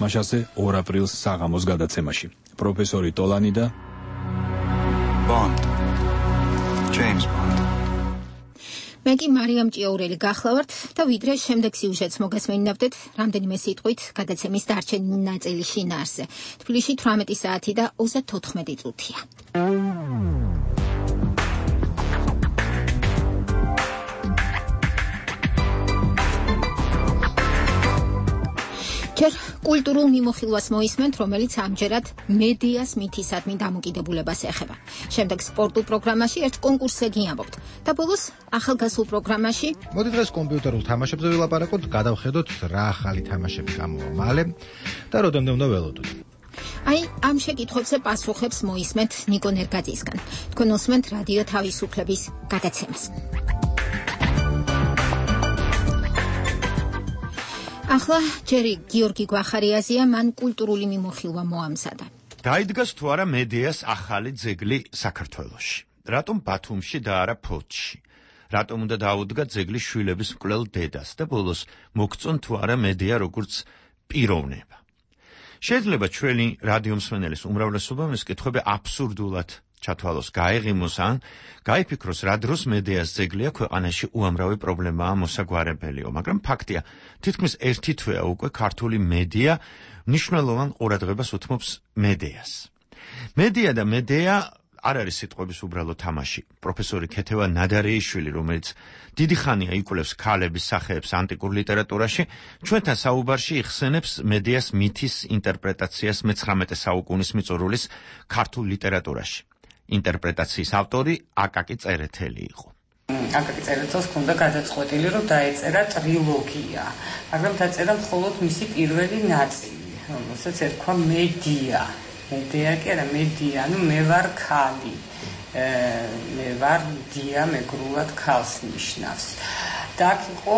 მაშასე ორ აპრილს საღამოს გადაცემაში. პროფესორი ტოლანი და Bond. James Bond. მე კი მარიამ ჭიაურელი გახლავართ და ვიდრე შემდეგ სიუჟეტს მოგესმენინავდეთ რამდენიმე სიტყვით გადაცემის დარჩენილი ნაწილი შინაარსზე. თბილისში თვრამეტი საათი და ოცდათოთხმეტი წუთია. ჯერ კულტურულ მიმოხილვას მოისმენთ, რომელიც ამჯერად მედიას მითისადმი დამოკიდებულებას ეხება. შემდეგ სპორტულ პროგრამაში ერთ კონკურსზე გიამბობთ და ბოლოს ახალგაზრდულ პროგრამაში მოდი დღეს კომპიუტერულ თამაშებზე ვილაპარაკოთ, გადავხედოთ რა ახალი თამაშები გამოვა მალე და როდემდე უნდა ველოდოთ. აი, ამ შეკითხვებზე პასუხებს მოისმენთ ნიკო ნერგაძისგან. თქვენ უსმენთ რადიო თავისუფლების გადაცემას. ახლა ჯერი გიორგი გვახარიაზია, მან კულტურული მიმოხილვა მოამზადა. დაიდგას თუ არა მედიას ახალი ძეგლი საქართველოში? რატომ ბათუმში და არა ფოთში? რატომ უნდა დაუდგა ძეგლი შვილების მკვლელ დედას და ბოლოს მოგწონ თუ არა მედია როგორც პიროვნება? შეიძლება ჩვენი რადიომსმენელის უმრავლესობამ ეს კითხვები აბსურდულად ჩათვალოს, გაეღიმოს ან გაიფიქროს, რა დროს მედიას ძეგლია ქვეყანაში უამრავი პრობლემაა მოსაგვარებელიო, მაგრამ ფაქტია, თითქმის ერთი თვეა უკვე ქართული მედია მნიშვნელოვან ყურადღებას უთმობს მედიას. მედია და მედია არ არის სიტყვების უბრალო თამაში. პროფესორი ქეთევა ნადარეიშვილი, რომელიც დიდი ხანია იკვლევს ქალების სახეებს ანტიკურ ლიტერატურაში, ჩვენთან საუბარში იხსენებს მედიას მითის ინტერპრეტაციას მეცხრამეტე საუკუნის მიწურულის ქართულ ლიტერატურაში. ინტერპრეტაციის ავტორი აკაკი წერეთელი იყო. აკაკი წერეთელს ჰქონდა გადაწყვეტილი, რომ დაეწერა ტრილოგია, მაგრამ დაწერა მხოლოდ მისი პირველი ნაწილი, რომელსაც ერქვა მედია. მედია კი არა, მედია, ანუ მე ვარ ქალი. მე ვარ დია, მეგრულად ქალს ნიშნავს. და აქ იყო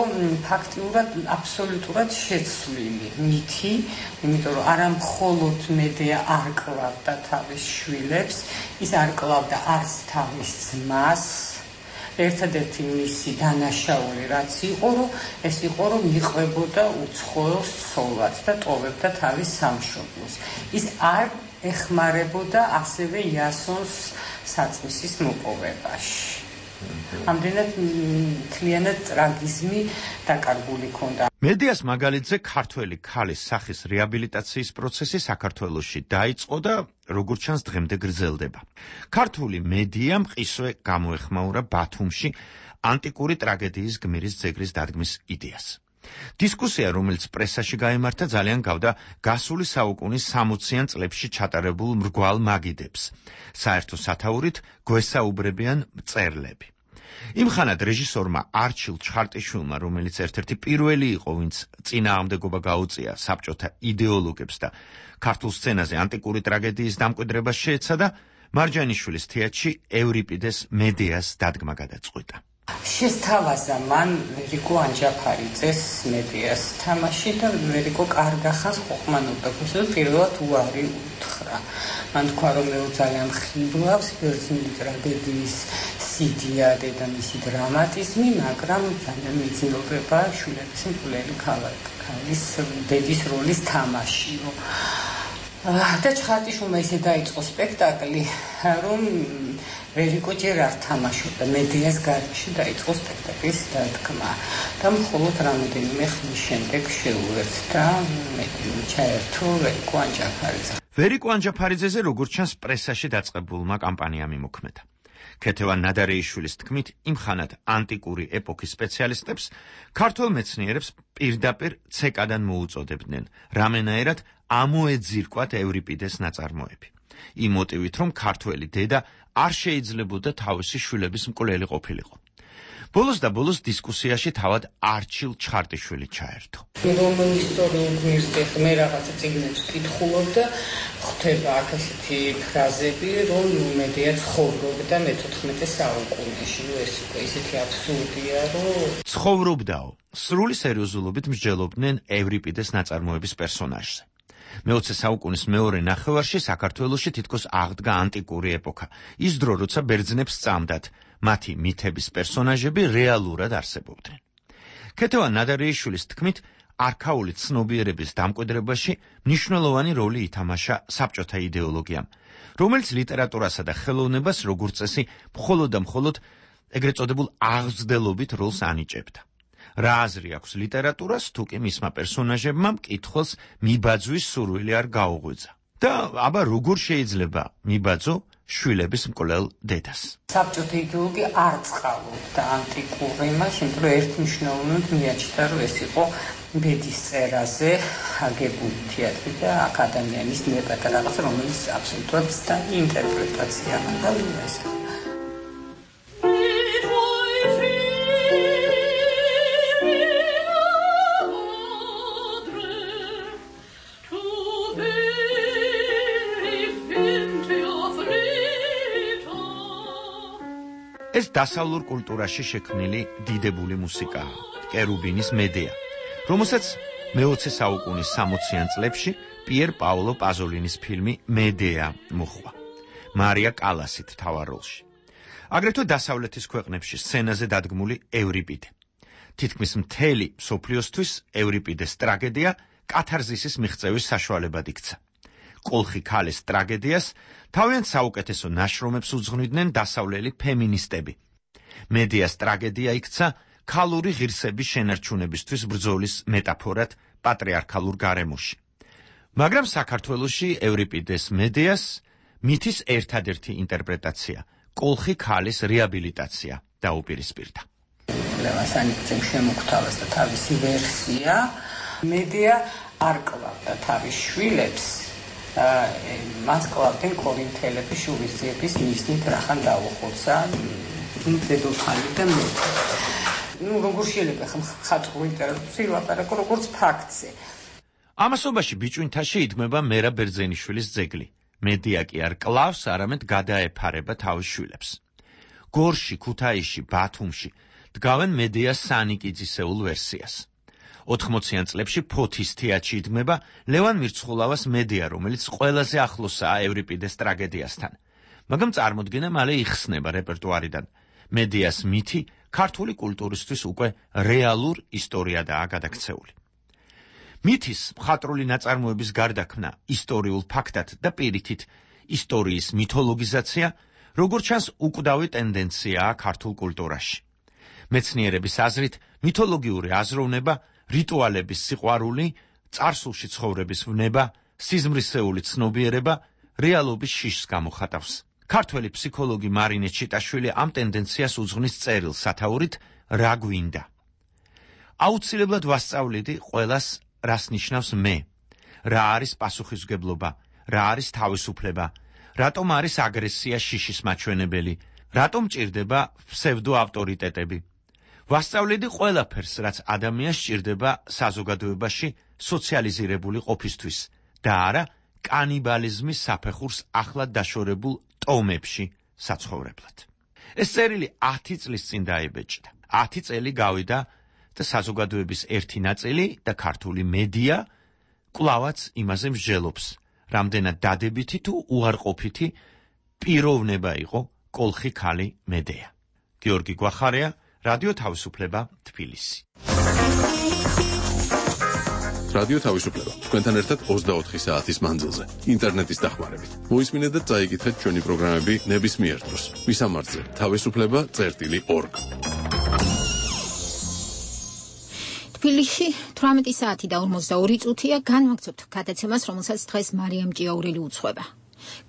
ფაქტიურად აბსოლუტურად შეცვლილი მითი, იმიტომ რომ არა მხოლოდ მედია არ კლავდა თავის შვილებს, ის არ კლავდა არც თავის ძმას. ერთადერთი მისი დანაშაული რაც იყო, რომ ეს იყო, რომ მიყვებოდა უცხოელ ცოლად და ტოვებდა თავის სამშობლოს. ის არ ეხმარებოდა ასევე იასონს საწმისის მოპოვებაში. ამდენად მთლიანად ტრაგიზმი დაკარგული ჰქონდა. მედიას მაგალითზე ქართველი ქალის სახის რეაბილიტაციის პროცესი საქართველოში დაიწყო და როგორც ჩანს დღემდე გრძელდება. ქართული მედია მყისვე გამოეხმაურა ბათუმში ანტიკური ტრაგედიის გმირის ძეგლის დადგმის იდეას. დისკუსია, რომელიც პრესაში გაიმართა, ძალიან გავდა გასული საუკუნის სამოციან წლებში ჩატარებულ მრგვალ მაგიდებს. საერთო სათაურით გვესაუბრებიან მწერლები. იმ ხანად რეჟისორმა არჩილ ჩხარტიშვილმა, რომელიც ერთ-ერთი პირველი იყო, ვინც წინააღმდეგობა გაუწია საბჭოთა იდეოლოგებს და ქართულ სცენაზე ანტიკური ტრაგედიის დამკვიდრებას შეეცადა, მარჯანიშვილის თეატრში ევრიპიდეს მედიას დადგმა გადაწყვიტა. შესთავაზა მან ვერიკო ანჯაფარიძეს მედიას თამაში და ვერიკო კარგა ხანს ყოყმანობდა, უბრალოდ პირველად უარი უთხრა. მან თქვა, რომ მე ძალიან ხიბლავს ბერძნული ტრაგედიის სიდიადე და მისი დრამატიზმი, მაგრამ ძალიან მიძინდება შვილების მკვლელი ქალის დედის როლის თამაშიო. და ჩხარტიშვილმა ისე დაიწყო სპექტაკლი, რომ ვერიკო ჯერ არ თამაშობდა მედიას გარეშე, დაიწყო სპექტაკლის დადგმა და მხოლოდ რამოდენიმე ხნის შემდეგ შეუერთდა ჩაერთო ვერიკო ანჯაფარიძე. ვერიკო ანჯაფარიძეზე როგორც ჩანს პრესაში დაწყებულმა კამპანიამ იმოქმედა. ქეთევა ნადარეიშვილის თქმით, იმ ხანად ანტიკური ეპოქის სპეციალისტებს ქართველ მეცნიერებს პირდაპირ ცეკადან მოუწოდებდნენ, რამენაერად ამოეძირკვათ ევრიპიდეს ნაწარმოები. იმ მოტივით, რომ ქართველი დედა არ შეიძლებოდა თავისი შვილების მკვლელი ყოფილიყო. ბოლოს და ბოლოს დისკუსიაში თავად არჩილ ჩხარტიშვილი ჩაერთო. რომ ისტორიულ გმირს მე რაღაცა წიგნებს ვკითხულობ და ხვდება აქ ესეთი ფრაზები, რომ მედია ცხოვრობდა მეთოთხმეტე საუკუნეში. ეს უკვე ისეთი აბსურდია, რომ ცხოვრობდაო. სრული სერიოზულობით მსჯელობდნენ ევრიპიდეს ნაწარმოების პერსონაჟზე. მეოცე საუკუნის მეორე ნახევარში საქართველოში თითქოს აღდგა ანტიკური ეპოქა. ის დრო, როცა ბერძნებს სწამდათ, მათი მითების პერსონაჟები რეალურად არსებობდნენ. ქეთევა ნადარეიშვილის თქმით, არქაული ცნობიერების დამკვიდრებაში მნიშვნელოვანი როლი ითამაშა საბჭოთა იდეოლოგიამ, რომელიც ლიტერატურასა და ხელოვნებას როგორც წესი მხოლოდ და მხოლოდ ეგრეთ წოდებულ აღზრდელობით როლს ანიჭებდა. რა აზრი აქვს ლიტერატურას, თუ კი მისმა პერსონაჟებმა მკითხველს მიბაძვის სურვილი არ გაუღვიძა. და აბა როგორ შეიძლება მიბაძო შვილების მკვლელ დედას? საბჭოთა იდეოლოგია არ წყალობდა ანტიკურ იმას, იმიტომ რომ ერთმნიშვნელოვნად მიაჩნდა, რომ ეს იყო ბედის წერაზე აგებული თეატრი და აქ ადამიანის ნებათა რაღაც რომელიც აბსოლუტურად და ინტერპრეტაცია და ეს ეს დასავლურ კულტურაში შექმნილი დიდებული მუსიკაა, კერუბინის მედეა, რომელსაც მეოცე საუკუნის სამოციან წლებში პიერ პაოლო პაზოლინის ფილმი მედეა მოხვა. მარია კალასით მთავარ როლში. აგრეთვე დასავლეთის ქვეყნებში სცენაზე დადგმული ევრიპიდე. თითქმის მთელი მსოფლიოსთვის ევრიპიდეს ტრაგედია კათარზისის მიღწევის საშუალებად იქცა. კოლხი ქალის ტრაგედიას თავიანთ საუკეთესო ნაშრომებს უძღვნიდნენ დასავლელი ფემინისტები. მედეას ტრაგედია იქცა ქალური ღირსების შენარჩუნებისთვის ბრძოლის მეტაფორად პატრიარქალურ გარემოში. მაგრამ საქართველოში ევრიპიდეს მედეას მითის ერთადერთი ინტერპრეტაცია, კოლხი ქალის რეაბილიტაცია დაუპირისპირდა. ლევასანიძემ შემოგთავაზ და თავისი ვერსია, მედეა არ კლავდა თავის შვილებს, მას კლავდნენ კორინთელები შურისძიების მიზნით რახან დაუხოცა დედოფალი და მეფე. ნუ როგორ შეიძლება ხალხურ ლიტერატურაში ვილაპარაკო როგორც ფაქტზე. ამასობაში ბიჭვინთაში იდგმება მერა ბერძენიშვილის ძეგლი. მედეა კი არ კლავს, არამედ გადაეფარება თავის შვილებს. გორში, ქუთაისში, ბათუმში დგავენ მედეას სანიკიძისეულ ვერსიას. ოთხმოციან წლებში ფოთის თეატრში იდგმება ლევან მირცხულავას მედეა, რომელიც ყველაზე ახლოსაა ევრიპიდეს ტრაგედიასთან. მაგრამ წარმოდგენა მალე იხსნება რეპერტუარიდან. მედეას მითი ქართული კულტურისთვის უკვე რეალურ ისტორიადაა გადაქცეული. მითის მხატვრული ნაწარმოების გარდაქმნა ისტორიულ ფაქტად და პირიქით ისტორიის მითოლოგიზაცია, როგორც ჩანს, უკვდავი ტენდენციაა ქართულ კულტურაში. მეცნიერების აზრით, მითოლოგიური აზროვნება, რიტუალების სიყვარული, წარსულში ცხოვრების ვნება, სიზმრისეული ცნობიერება რეალობის შიშს გამოხატავს. ქართველი ფსიქოლოგი მარინე ჩიტაშვილი ამ ტენდენციას უძღვნის წერილს სათაურით რა გვინდა. აუცილებლად ვასწავლიდი ყველას რას ნიშნავს მე, რა არის პასუხისმგებლობა, რა არის თავისუფლება, რატომ არის აგრესია შიშის მაჩვენებელი, რატომ ჭირდება ფსევდო ავტორიტეტები. ვასწავლიდი ყველაფერს, რაც ადამიანს ჭირდება საზოგადოებაში სოციალიზირებული ყოფისთვის და არა კანიბალიზმის საფეხურს ახლად დაშორებულ ტომებში საცხოვრებლად. ეს წერილი ათი წლის წინ დაიბეჭდა. ათი წელი გავიდა და საზოგადოების ერთი ნაწილი და ქართული მედია კვლავაც იმაზე მსჯელობს, რამდენად დადებითი თუ უარყოფითი პიროვნება იყო კოლხი ქალი მედეა. გიორგი გვახარია, რადიო თავისუფლება, თბილისი. რადიო თავისუფლება, თქვენთან ერთად ოცდაოთხი საათის მანძილზე, ინტერნეტის დახმარებით. მოისმინეთ და წაიკითხეთ ჩვენი პროგრამები ნებისმიერ დროს. მისამართზე თავისუფლება წერტილი ორგ. თბილისში თვრამეტი საათი და ორმოცდაორი წუთია განვაგრძობთ გადაცემას, რომელსაც დღეს მარიამ ჭიაურელი უძღვება.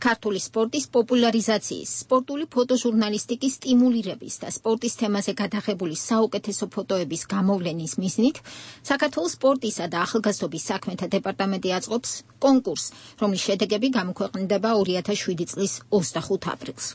ქართული სპორტის პოპულარიზაციის, სპორტული ფოტოჟურნალისტიკის სტიმულირების და სპორტის თემაზე გადაღებული საუკეთესო ფოტოების გამოვლენის მიზნით საქართველოს სპორტისა და ახალგაზრდობის საქმეთა დეპარტამენტი აწყობს კონკურსს, რომლის შედეგები გამოქვეყნდება ორი ათას შვიდი წლის ოცდახუთ აპრილს.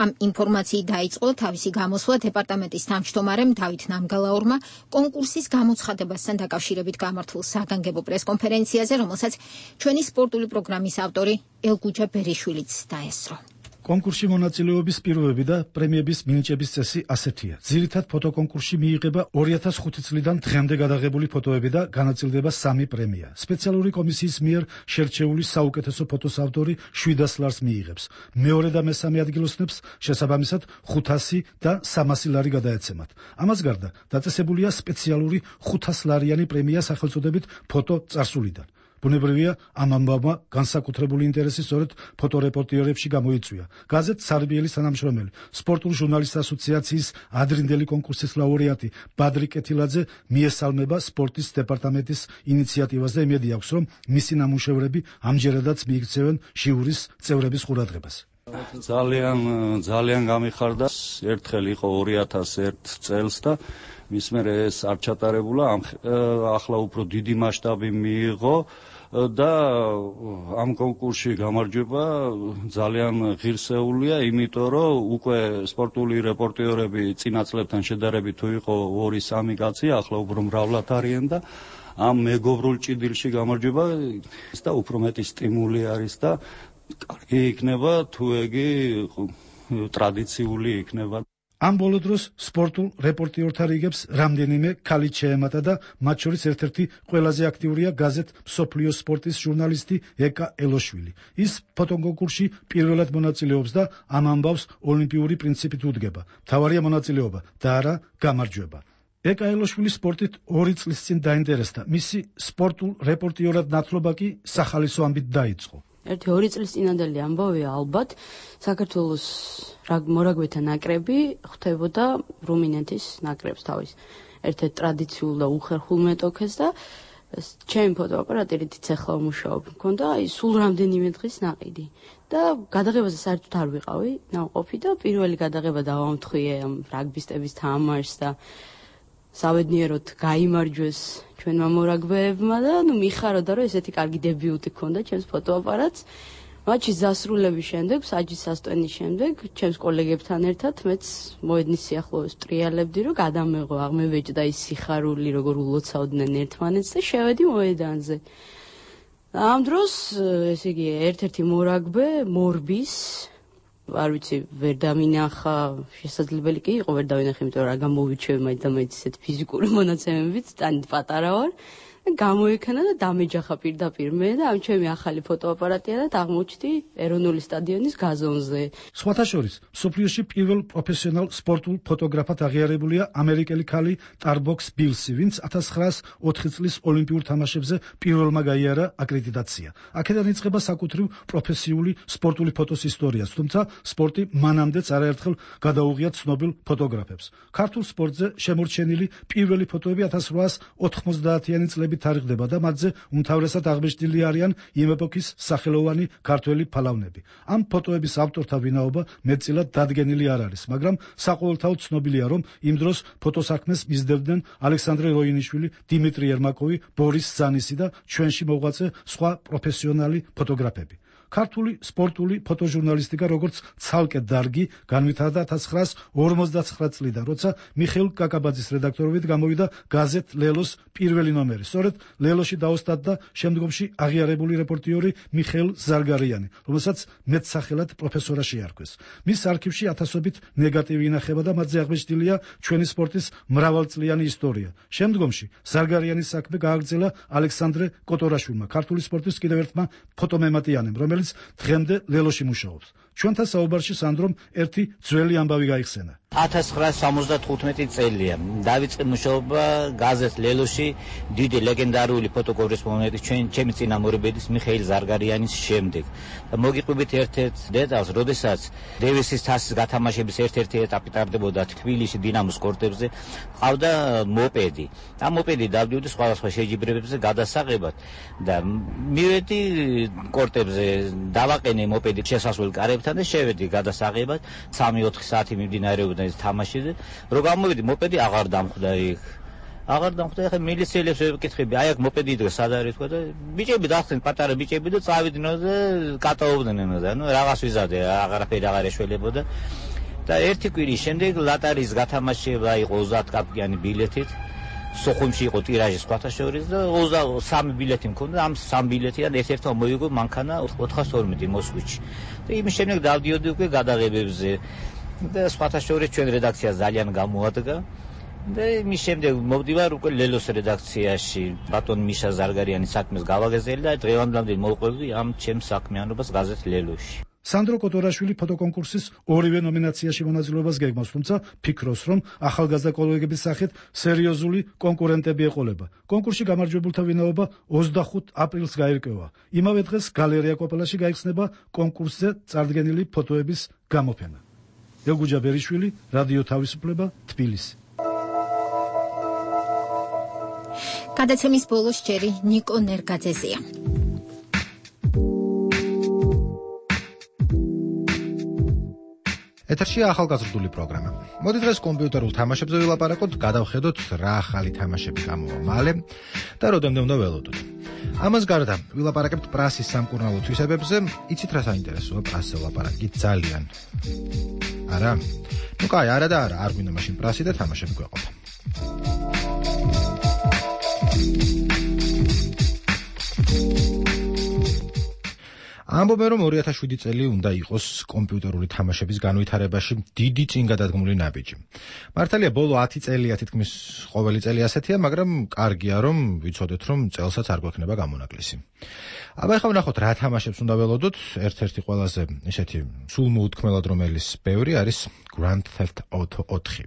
ამ ინფორმაციით დაიწყო თავისი გამოსვლა დეპარტამენტის თავმჯდომარემ დავით ნამგალაურმა კონკურსის გამოცხადებასთან დაკავშირებით გამართულ საგანგებო პრესკონფერენციაზე, რომელსაც ჩვენი სპორტული პროგრამის ავტორი ელგუჯა ბერიშვილიც დაესწრო. კონკურსში მონაწილეობის პირობები და პრემიების მინიჭების წესი ასეთია. ძირითად ფოტოკონკურსში მიიღება ორი ათას ხუთი წლიდან დღემდე გადაღებული ფოტოები და განაწილდება სამი პრემია. სპეციალური კომისიის მიერ შერჩეული საუკეთესო ფოტოს ავტორი შვიდას ლარს მიიღებს. მეორე და მესამე ადგილოსნებს შესაბამისად ხუთასი და სამასი ლარი გადაეცემათ. ამას გარდა დაწესებულია სპეციალური ხუთას ლარიანი პრემია სახელწოდებით ფოტო წარსულიდან. ბუნებრივია, ამ ამბავმა განსაკუთრებული ინტერესი სწორედ ფოტორეპორტიორებში გამოიწვია. გაზეთ სარბიელის თანამშრომელი, სპორტული ჟურნალისტთა ასოციაციის ადრინდელი კონკურსის ლაურეატი ბადრი კეთილაძე მიესალმება სპორტის დეპარტამენტის ინიციატივას და იმედი აქვს, რომ მისი ნამუშევრები ამჯერადაც მიიქცევენ ჟიურის წევრების ყურადღებას. ძალიან ძალიან გამიხარდა. ერთხელ იყო ორი ათას ერთ წელს და მის მერე ეს არ ჩატარებულა, ახლა უფრო დიდი მასშტაბი მიიღო და ამ კონკურსში გამარჯვება ძალიან ღირსეულია, იმიტომ რომ უკვე სპორტული რეპორტიორები წინა წლებთან შედარებით თუ იყო ორი სამი კაცი, ახლა უფრო მრავლად არიან და ამ მეგობრულ ჭიდილში გამარჯვება და უფრო მეტი სტიმული არის და კარგი იქნება თუ ეგი ტრადიციული იქნება. ამ ბოლო დროს სპორტულ რეპორტიორთა რიგებს რამდენიმე ქალი შეემატა და მათ შორის ერთ-ერთი ყველაზე აქტიურია გაზეთ მსოფლიო სპორტის ჟურნალისტი ეკა ელოშვილი. ის ფოტოკონკურსში პირველად მონაწილეობს და ამ ამბავს ოლიმპიური პრინციპით უდგება. მთავარია მონაწილეობა და არა გამარჯვება. ეკა ელოშვილი სპორტით ორი წლის წინ დაინტერესდა. მისი სპორტულ რეპორტიორად ნათლობა კი სახალისო ამბით დაიწყო. ერთი ორი წლის წინანდელი ამბავია ალბათ, საქართველოს მორაგბეთა ნაკრები ხვდებოდა რუმინეთის ნაკრებს თავის ერთ-ერთ ტრადიციულ და უხერხულ მეტოქეს და ჩემი ფოტოაპარატი რითიც ახლა ვმუშაობ, მქონდა აი სულ რამდენიმე დღის ნაყიდი და გადაღებაზე საერთოდ არ ვიყავი ნავყოფი და პირველი გადაღება დავამთხვიე ამ რაგბისტების თამაშს და საბედნიეროდ გაიმარჯვეს ჩვენმა მორაგბეებმა და ნუ მიხაროდა რომ ესეთი კარგი დებიუტი ქონდა ჩემს ფოტოაპარატს. მატჩის დასრულების შემდეგ, საჯის სასტვენის შემდეგ, ჩემს კოლეგებთან ერთად მეც მოედნის სიახლოვეს ტრიალებდი, რომ გადამეღო, აღმევეჭდა ის სიხარული, როგორ ულოცავდნენ ერთმანეთს და შევედი მოედანზე. ამ დროს, ესე იგი, ერთ-ერთი მორაგბე მორბის არ ვიცი, ვერ დამინახა, შესაძლებელი კი იყო ვერ დავინახე, იმიტომ რომ რა გამოვიჩევი მაინც და მაინც ისეთ ფიზიკური მონაცემებით, ტანით პატარა ვარ. გამოექანა და დამეჯახა პირდაპირ მე და ამ ჩემი ახალი ფოტოაპარატია და აღმოჩნდი ეროვნული სტადიონის გაზონზე. სხვათა შორის, მსოფლიოში პირველ პროფესიონალ სპორტულ ფოტოგრაფად აღიარებულია ამერიკელი ქალი ტარბოქს ბილსი, ვინც ათას ცხრაას ოთხი წლის ოლიმპიურ თამაშებზე პირველმა გაიარა აკრედიტაცია. აქედან იწყება საკუთრივ პროფესიული სპორტული ფოტოს ისტორიაც, თუმცა სპორტი მანამდეც არაერთხელ გადაუღია ცნობილ ფოტოგრაფებს. ქართულ სპორტზე შემორჩენილი პირველი ფოტოები ათას რვაას ოთხმოცდაათიანი წლების თარიღდება და მათზე უმთავრესად აღბეჭდილი არიან იმ ეპოქის სახელოვანი ქართველი ფალავნები. ამ ფოტოების ავტორთა ვინაობა მეტწილად დადგენილი არ არის, მაგრამ საყოველთაოდ ცნობილია, რომ იმ დროს ფოტოსაქმეს მისდევდნენ ალექსანდრე როინიშვილი, დიმიტრი ერმაკოვი, ბორის ზანისი და ჩვენში მოღვაწე სხვა პროფესიონალი ფოტოგრაფები. ქართული სპორტული ფოტოჟურნალისტიკა როგორც ცალკე დარგი განვითარდა ათას ცხრაას ორმოცდაცხრა წლიდან, როცა მიხეილ კაკაბაძის რედაქტორობით გამოვიდა გაზეთ ლელოს პირველი ნომერი. სწორედ ლელოში დაოსტატდა შემდგომში აღიარებული რეპორტიორი მიხეილ ზარგარიანი, რომელსაც მეტსახელად პროფესორა შეარქვეს. მის არქივში ათასობით ნეგატივი ინახება და მათზე აღბეჭდილია ჩვენი სპორტის მრავალწლიანი ისტორია. შემდგომში ზარგარიანის საქმე გააგრძელა ალექსანდრე კოტორაშვილმა, ქართული სპორტის კიდევ ერთმა ფოტომემატიანემ, რომელიც დღემდე ლელოში მუშაობს. ჩვენთან საუბარში სანდრომ ერთი ძველი ამბავი გაიხსენა. ათას ცხრაას სამოცდათხუთმეტი წელია. დავიწყე მუშაობა გაზეთ ლელოში დიდი ლეგენდარული ფოტოკორესპონდენტის ჩვენ ჩემი წინამორბედის მიხეილ ზარგარიანის შემდეგ. და მოგიყვებით ერთ-ერთ დეტალს, როდესაც დევისის თასის გათამაშების ერთ-ერთი ეტაპი ტარდებოდა თბილისში დინამოს კორტებზე, ყავდა მოპედი. ამ მოპედი დავდივდი სხვადასხვა შეჯიბრებებზე გადასაღებად და მივედი კორტებზე, დავაყენე მოპედი შესასვლელ კარებთან და შევედი გადასაღებად. სამი ოთხი საათი მიმდინარეობდა ეს თამაში და რო გამოვიდი მოპედი აღარ დამხვდა იქ. აღარ დამხვდა, ახლა მილიციელებს ვეკითხები, აი აქ მოპედი იდგა სად არის თქვა და ბიჭები დაახსენ, პატარა ბიჭები და წავიდნენ და კატაობდნენ და ნუ რაღაც ვიზადე, აღარაფერი აღარ ეშველებოდა. და ერთი კვირის შემდეგ ლატარის გათამაშება იყო ოცდაათ კაპიანი ბილეთით. სოხუმში იყო ტირაჟი სხვათა შორის და ოცდასამი ბილეთი მქონდა, ამ სამ ბილეთიდან ერთ-ერთმა მოიგო მანქანა ოთხას ორმოცი მოსკოვში. და იმის შემდეგ დავდიოდი უკვე გადაღებებზე და სხვათა შორის ჩვენ რედაქცია ძალიან გამოადგა. და იმის შემდეგ მოვდივარ უკვე ლელოს რედაქციაში, ბატონ მიშა ზარგარიანის საქმეს გავაგეზელი და დღევანდლამდე მოვყვები ამ ჩემს საქმიანობას გაზეთ ლელოში. სანდრო კოტორაშვილი ფოტოკონკურსის ორივე ნომინაციაში მონაწილეობას გეგმავს, თუმცა ფიქრობს, რომ ახალგაზრდა კოლეგების სახით სერიოზული კონკურენტები ეყოლება. კონკურსში გამარჯვებულთა ვინაობა ოცდახუთ აპრილს გაირკვევა. იმავე დღეს გალერეა კოპელაში გაიხსნება კონკურსზე წარდგენილი ფოტოების გამოფენა. ელგუჯა ბერიშვილი, რადიო თავისუფლება, თბილისი. გადაცემის ბოლოს ჯერი ნიკო ნერგაძეზია. ეთერშია ახალგაზრდული პროგრამა. მოდი დღეს კომპიუტერულ თამაშებზე ვილაპარაკოთ, გადავხედოთ რა ახალი თამაშები გამოვა მალე და როდემდე უნდა ველოდოთ. ამას გარდა ვილაპარაკებთ პრასის სამკურნალო თვისებებზე, იცით რა საინტერესოა პრასზე ვლაპარაკი ძალიან. არა? ნუ კაი, არა და არა, არ გვინდა მაშინ პრასი და თამაშები გვეყოფა. ამბობენ, რომ ორი ათას შვიდი წელი უნდა იყოს კომპიუტერული თამაშების განვითარებაში დიდი წინგადადგმული ნაბიჯი. მართალია, ბოლო ათი წელია თითქმის ყოველი წელი ასეთია, მაგრამ კარგია, რომ ვიცოდეთ, რომ წელსაც არ გვექნება გამონაკლისი. აბა ახლა ვნახოთ, რა თამაშებს უნდა ველოდოთ. ერთ-ერთი ყველაზე ისეთი სულ მოუთქმელად რომელის ბევრი არის Grand Theft Auto ოთხი.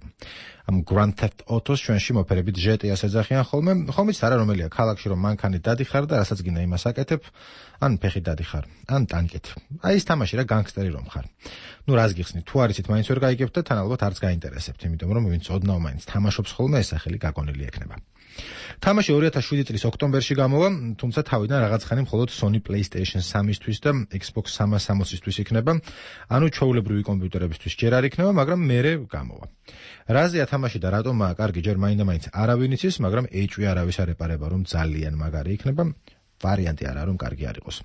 ამ Grand Theft Auto-ს ჩვენში მოფერებით ჯი ტი ას ეძახიან ხოლმე, ხომიც არა რომელია ქალაქში რომ მანქანით დადიხარ და რასაც გინდა იმას აკეთებ, ან ფეხით დადიხარ, ან ტანკით. აი ეს თამაში რა განგსტერი რომ ხარ. ნუ რას გიხსნით, თუ არ იცით, მაინც ვერ გაიგებთ და თან ალბათ არც გაინტერესებთ, იმიტომ რომ ვინც ოდნავ მაინც თამაშობს ხოლმე, ეს სახელი გაგონილი ექნება. თამაში ორი ათას შვიდი წლის ოქტომბერში გამოვა, თუმცა თავიდან რაღაც ხანი მხოლოდ Sony PlayStation სამისთვის და Xbox სამას სამოცისთვის იქნება, ანუ ჩვეულებრივი კომპიუტერებისთვის ჯერ არ იქნება, მაგრამ მერე გამოვა. რაზეა თამაში და რატომაა კარგი, ჯერ მაინდა-მაინც არავინ იცის, მაგრამ ეჭვი არავის არ ეპარება, რომ ძალიან მაგარი იქნება. ვარიანტი არა, რომ კარგი არ იყოს.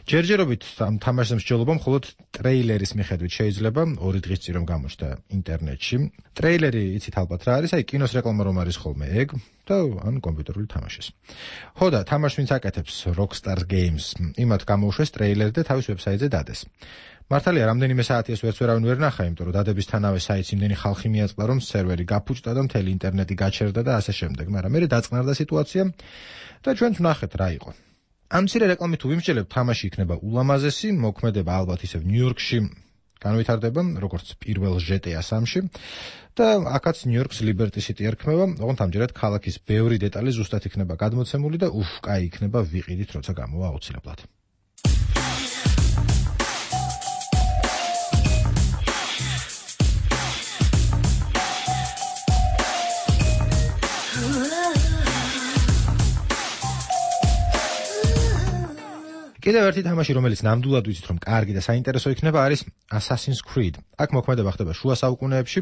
ჯერჯერობით ამ თამაშზე მსჯელობა მხოლოდ ტრეილერის მიხედვით შეიძლება, ორი დღის წინ რომ გამოჩნდა ინტერნეტში. ტრეილერი იცით ალბათ რა არის, აი კინოს რეკლამა რომ არის ხოლმე ეგ და ან კომპიუტერული თამაშის. ხო და თამაშს ვინც აკეთებს Rockstar Games, იმათ გამოუშვეს ტრეილერი და თავის ვებსაიტზე დადეს. მართალია, რამდენიმე საათიას ვერც ვერავინ ვერ ნახა, იმიტომ რომ დადებისთანავე საიტს იმდენი ხალხი მიაწყდა, რომ სერვერი გაფუჭდა და მთელი ინტერნეტი გაჩერდა და ასე შემდეგ, მაგრამ მერე დაწყნარდა სიტუაცია და ჩვენც ვნახეთ რა იყო. ამ მცირე რეკლამით თუ ვიმსჯელებთ, თამაში იქნება ულამაზესი, მოქმედება ალბათ ისევ ნიუ-იორკში განვითარდება, როგორც პირველ ჯი ტი ას სამში და აქაც ნიუ-იორკს Liberty City ერქმევა, ოღონდ ამჯერად ქალაქის ბევრი დეტალი ზუსტად იქნება გადმოცემული და უფ, კაი იქნება, ვიყიდით, როცა გამოვა აუცილებლად. კიდევ ერთი თამაში, რომელიც ნამდვილად ვიცით, რომ კარგი და საინტერესო იქნება, არის Assassin's Creed. აქ მოქმედება ხდება შუა საუკუნეებში,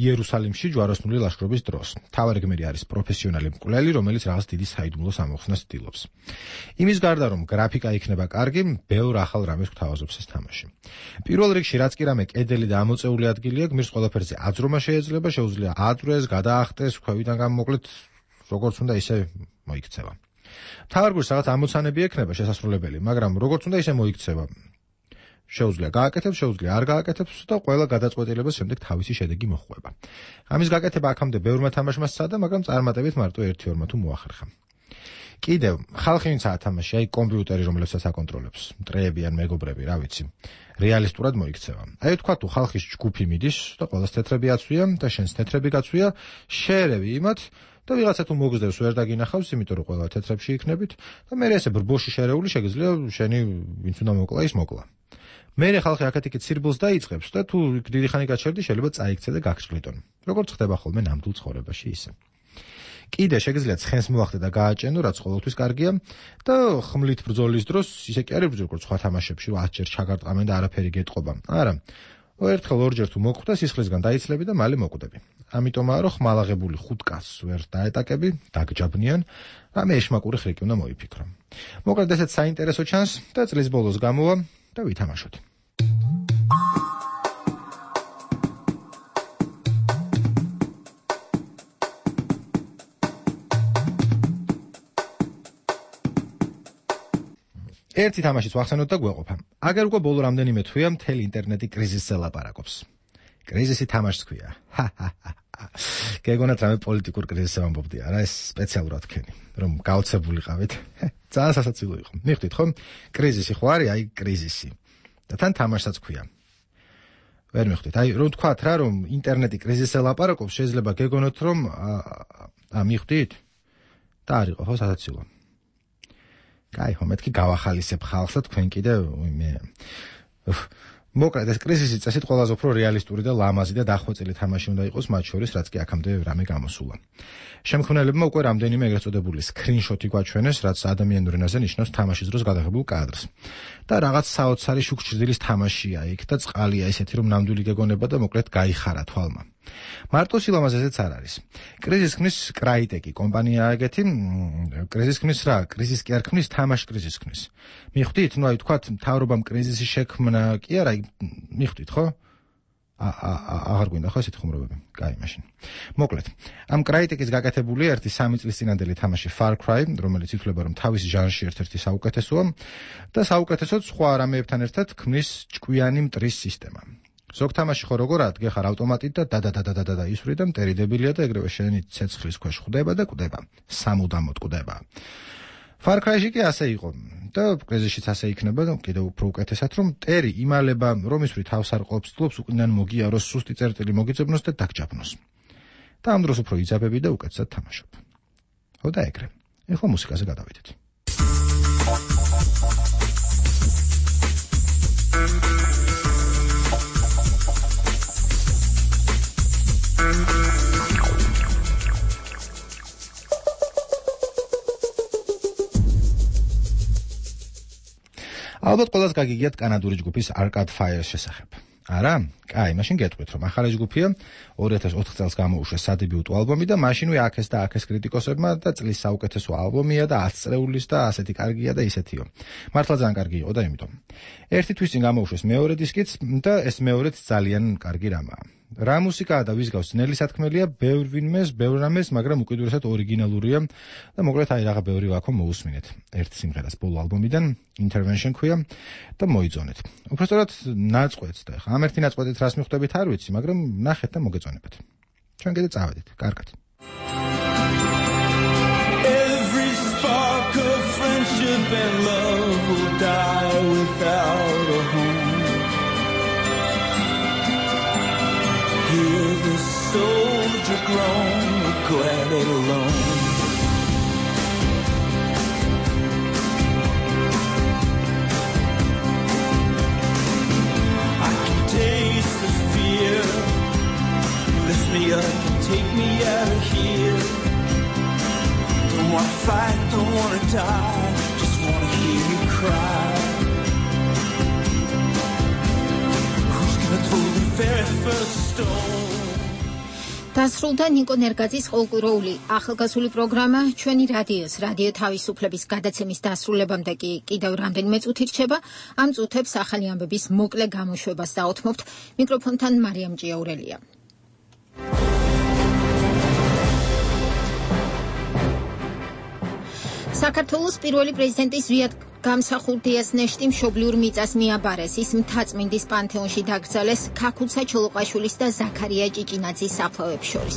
იერუსალიმში ჯვაროსნული ლაშქრობის დროს. მთავარი გმირი არის პროფესიონალი მკვლელი, რომელიც რაღაც დიდი საიდუმლოს ამოხსნას ცდილობს. იმის გარდა, რომ გრაფიკა იქნება კარგი, ბევრ ახალ რამეს გვთავაზობს ეს თამაში. პირველ რიგში, რაც კი რამე კედელი და ამოწეული ადგილია, გმირს ყველაფერზე აძრომა შეიძლება, შეუძლია აძვრეს, გადაახტეს, ქვევიდან გამოკლეთ, როგორც უნდა ისე მოიქცევა. თავარ გვერდს რაღაც ამოცანები ექნება შესასრულებელი, მაგრამ როგორც უნდა ისე მოიქცევა. შეუძლია გააკეთებს, შეუძლია არ გააკეთებს და ყველა გადაწყვეტილებას შემდეგ თავისი შედეგი მოხვება. ამის გაკეთება აქამდე ბევრმა თამაშმა სცადა, მაგრამ წარმატებით მარტო ერთი-ორმა თუ მოახერხა. კიდევ, ხალხი ვინც ათამაში, აი კომპიუტერი, რომელსაც აკონტროლებს, მტრეები ან მეგობრები, რა ვიცი, რეალისტურად მოიქცევა. აი თქვა თუ ხალხის ჯგუფი მიდის და ყველას თეთრები აცვია და შენს თეთრები გაცვია, შეერევი იმათ და ვიღაცა თუ მოგზდევს ვერ დაგინახავს, იმიტომ რომ ყველა თეთრებში იქნებით და მე ესე ბრბოში შერეული შეგიძლია შენი ვინც უნდა მოკლა ის მოკლა. მე ხალხი აქეთ-იქით სირბილს დაიწყებს და თუ დიდი ხანი გაჩერდი შეიძლება წაიქცე და გაგჭრილიტონ. როგორც ხდება ხოლმე ნამდვილ ცხოვრებაში ისე. კიდე შეგიძლია ცხენს მოახდე და გააჭენო, რაც ყოველთვის კარგია და ხმლით ბრძოლის დროს ისე კი არის როგორც სხვა თამაშებში, რომ ათჯერ ჩაგარტყამენ და არაფერი გეტყობა. არა. ერთხელ ორჯერ თუ მოკვდა, სისხლისგან დაიცლები და მალე მოკვდები. ამიტომაა, რომ ხმალაღებული ხუთ კაცს ვერ დაეტაკები, დაგჯაბნიან, რამე ეშმაკური ხრიკი უნდა მოიფიქრო. მოკლედ ესეც საინტერესო ჩანს და წლის ბოლოს გამოვა და ვითამაშოთ. ერთი თამაშიც ვახსენოთ და გვეყოფა. აგერ უკვე ბოლო რამდენიმე თვეა მთელი ინტერნეტი კრიზისზე ლაპარაკობს. კრიზისი თამაშს ქვია. გეგონათ რამე პოლიტიკურ კრიზისზე ვამბობდი, არა, ეს სპეციალურად თქვენი, რომ გაოცებულიყავით. ძალიან სასაცილო იყო. მიხვდით ხო? კრიზისი ხო არის, აი კრიზისი. და თან თამაშსაც ქვია. ვერ მიხვდით. აი რომ თქვათ რა, რომ ინტერნეტი კრიზისზე ლაპარაკობს, შეიძლება გეგონოთ, რომ ა მიხვდით? და არ იყო ხო სასაცილო. კაი, ხო, მეთქი გავახალისებ ხალხს და თქვენ კიდე მე მოკლედ ეს კრიზისი წესით ყველაზე უფრო რეალისტური და ლამაზი და დახვეწილი თამაში უნდა იყოს მათ შორის, რაც კი აქამდე რამე გამოსულა. შემქმნელებმა უკვე რამდენიმე ეგრეთ წოდებული სკრინშოტი გვაჩვენეს, რაც ადამიანურ ენაზე ნიშნავს თამაშის დროს გადაღებულ კადრს. და რაღაც საოცარი შუქჭრდილის თამაშია იქ და წყალია ისეთი, რომ ნამდვილი გეგონება და მოკლედ გაიხარა თვალმა. მარტო სილამაზეზეც არ არის. კრიზის ქმნის კრაიტეკი კომპანია ეგეთი, კრიზის ქმნის რა, კრიზის კი არ ქმნის, თამაში კრიზის ქმნის. მიხვდით, ну აი თქვათ, მთავრობამ კრიზისის შექმნა კი არა, მიხვდით, ხო? აღარ გვინდა ხო ესეთი ხუმრობები? კაი, მაშინ. მოკლედ, ამ კრაიტეკის გაკეთებული ერთი სამი წლის წინანდელი თამაში Far Cry, რომელიც ითვლება რომ თავის ჟანრში ერთ-ერთი საუკეთესოა და საუკეთესოდ სხვა რამეებთან ერთად ქმნის ჭკვიანი მტრის სისტემა. ზოგ თამაში ხო როგორად გეხარ ავტომატით და დადადადადადა ისვრი და მტერიდებილია და ეგრევე შენი ცეცხლის ქვეშ ხვდება და კვდება. სამუდამოდ კვდება. Far Cry-ში კი ასე იყო და კრიზისშიც ასე იქნება და კიდევ უფრო უკეთესად რომ მტერი იმალება რომ ისვრი თავს არ ყოფს, თლობს უკიდან მოგიაროს, სუსტი წერტილი მოგიძებნოს და დაგჭაფნოს. და ამ დროს უფრო იძაბები და უკეთესად თამაშობ. ხო და ეგრე. ეხლა მუსიკაზე გადავიდეთ. ალბათ ყველას გაგიგიათ კანადური ჯგუფის Arcade Fire შესახებ. არა? კაი, მაშინ გეტყვით, რომ ახალი ჯგუფია ორი ათას ოთხ წელს გამოუშვეს სადებიუტო ალბომი და მაშინვე აქეს და აქეს კრიტიკოსებმა და წლის საუკეთესო ალბომია და ათი წრეულის და ასეთი კარგია და ისეთიო. მართლა ძალიან კარგი იყო და იმიტომ. ერთი თვის წინ გამოუშვეს მეორე დისკიც და ეს მეორეც ძალიან კარგი რამაა. რა მუსიკაა და ვის გავს ძნელი სათქმელია, ბევრ ვინმეს, ბევრ რამეს, მაგრამ უკიდურესად ორიგინალურია და მოკლედ აი რაღა ბევრი ვაქო მოусმინეთ. ერთ სიმღერას ბოლო ალბომიდან Intervention ქვია და მოიძონეთ. უბრალოდ ნაწყვეტს და ხა ამ ერთი ნაწყვეტით რას მიხვდებით არ ვიცი, მაგრამ ნახეთ და მოგეწონებათ. ჩვენ კიდე წავედით. კარგად. Every spark of friendship and love will die without a home. Hear the soldier groan, glad it alone. I can taste the fear. Lift me up and take me out of here. Don't wanna fight, don't wanna die, just wanna hear you cry. Who's gonna throw the very first stone? დასრულდა ნიკო ნერგაძის ყოველკვირეული ახალგაზრდული პროგრამა ჩვენი რადიოს რადიო თავისუფლების გადაცემის დასრულებამდე კი კიდევ რამდენიმე წუთი რჩება. ამ წუთებს ახალი ამბების მოკლე გამოშვებას დაუთმობთ. მიკროფონთან მარიამ ჭიაურელია. საქართველოს პირველი პრეზიდენტის ზვიად გამსახურდიას ნეშტი მშობლიურ მიწას მიაბარეს. ის მთაწმინდის პანთეონში დაკრძალეს ქაქუცა ჩოლოყაშვილის და ზაქარია ჭიჭინაძის საფლავებს შორის.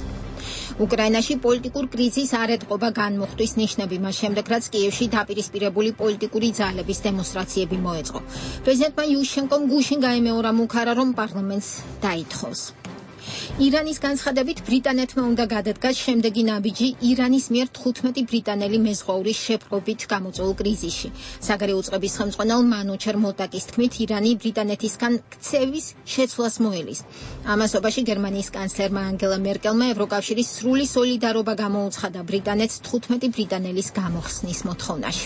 უკრაინაში პოლიტიკურ კრიზისს არ ეტყობა განმუხტვის ნიშნები მას შემდეგ, რაც კიევში დაპირისპირებული პოლიტიკური ძალების დემონსტრაციები მოეწყო. პრეზიდენტმა იუშენკომ გუშინ გაიმეორა მუქარა, რომ პარლამენტს დაითხოვს. ირანის განცხადებით ბრიტანეთმა უნდა გადადგას შემდეგი ნაბიჯი ირანის მიერ თხუთმეტი ბრიტანელი მეზღვაურის შეპყრობით გამოწვეულ კრიზისში. საგარეო უწყების ხელმძღვანელ მანუჩერ მოტაკის თქმით, ირანი ბრიტანეთისგან ქცევის შეცვლას მოელის. ამასობაში გერმანიის კანცლერმა ანგელა მერკელმა ევროკავშირის სრული სოლიდარობა გამოუცხადა ბრიტანეთს თხუთმეტი ბრიტანელის გამოხსნის მოთხოვნაში.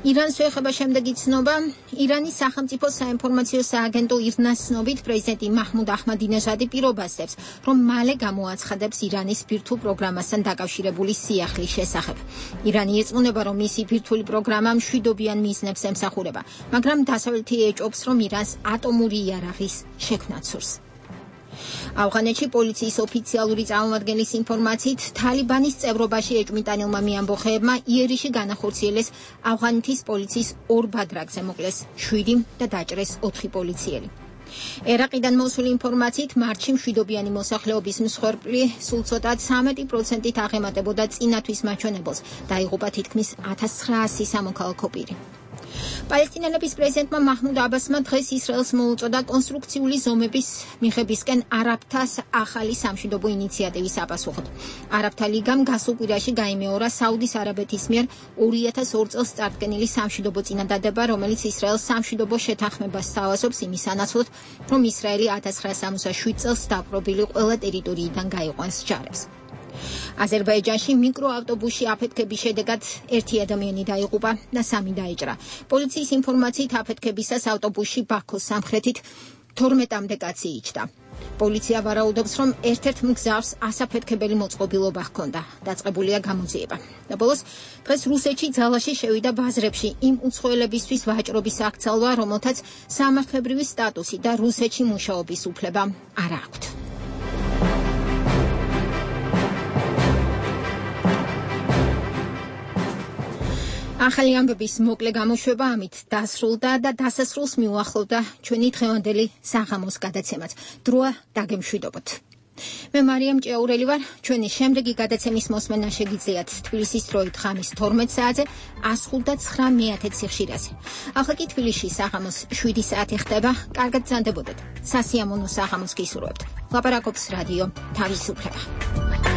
ირანს ეხება შემდეგი ცნობა. ირანის სახელმწიფო საინფორმაციო სააგენტო ირნას ცნობით პრეზიდენტი მაჰმუდ აჰმადინეჟადი პირობასდებს, რომ მალე გამოაცხადებს ირანის ბირთვულ პროგრამასთან დაკავშირებული სიახლის შესახებ. ირანი ირწმუნება, რომ მისი ბირთვული პროგრამა მშვიდობიან მიზნებს ემსახურება, მაგრამ დასავლეთი ეჭობს, რომ ირანს ატომური იარაღის შექმნა ცურს. ავღანეთში პოლიციის ოფიციალური წარმომადგენლის ინფორმაციით, თალიბანის წევრობაში ეჭვმიტანილმა მიამბოხეებმა იერიში განახორციელეს ავღანეთის პოლიციის ორ ბადრაგზე მოკლეს შვიდი და დაჭრეს ოთხი პოლიციელი. ერაყიდან მოსული ინფორმაციით, მარტში მშვიდობიანი მოსახლეობის მსხვერპლი სულ ცოტა ცამეტი პროცენტით აღემატებოდა წინათვის მაჩვენებელს და იღუპა თითქმის ათას ცხრაასი სამოქალაქო პირი. პალესტინელების პრეზიდენტმა მაჰმუდ აბასმა დღეს ისრაელს მოუწოდა კონსტრუქციული ზომების მიღებისკენ არაბთას ახალი სამშვიდობო ინიციატივის საპასუხოდ. არაბთა ლიგამ გასულ კვირაში გაიმეორა საუდის არაბეთის მიერ ორი ათას ორ წელს წარდგენილი სამშვიდობო წინადადება, რომელიც ისრაელს სამშვიდობო შეთანხმებას სთავაზობს იმის სანაცვლოდ, რომ ისრაელი ათას ცხრაასა სამოცდაშვიდ წელს დაპყრობილი ყველა ტერიტორიიდან გაიყვანს ჯარებს. აზერბაიჯანში მიკროავტობუსში აფეთქების შედეგად ერთი ადამიანი დაიღუპა და სამი დაიჭრა. პოლიციის ინფორმაციით აფეთქებისას ავტობუსში ბაქოს სამხრეთით თორმეტამდე კაცი იჯდა. პოლიცია ვარაუდობს, რომ ერთ-ერთ მგზავრს ასაფეთქებელი მოწყობილობა ჰქონდა. დაწყებულია გამოძიება. და ბოლოს დღეს რუსეთში ძალაში შევიდა ბაზრებში იმ უცხოელებისთვის ვაჭრობის აქცალვა, რომელთაც სამართლებრივი სტატუსი და რუსეთში მუშაობის უფლება არ აქვთ. ახალი ამბების მოკლე გამოშვება ამით დასრულდა და დასასრულს მიუახლოვდა ჩვენი დღევანდელი საღამოს გადაცემაც. დროა დაგემშვიდობოთ. მე მარიამ ჭიაურელი ვარ. ჩვენი შემდეგი გადაცემის მოსმენა შეგიძლიათ თბილისის დროით ღამის თორმეტ საათზე ას ხუთ და ცხრა მეათე ციხშირაზე. ახლა კი თბილისში საღამოს შვიდი საათი ხდება. კარგად ბრძანდებოდეთ. სასიამოვნო საღამოს გისურვებთ. ლაპარაკობს რადიო თავისუფლება.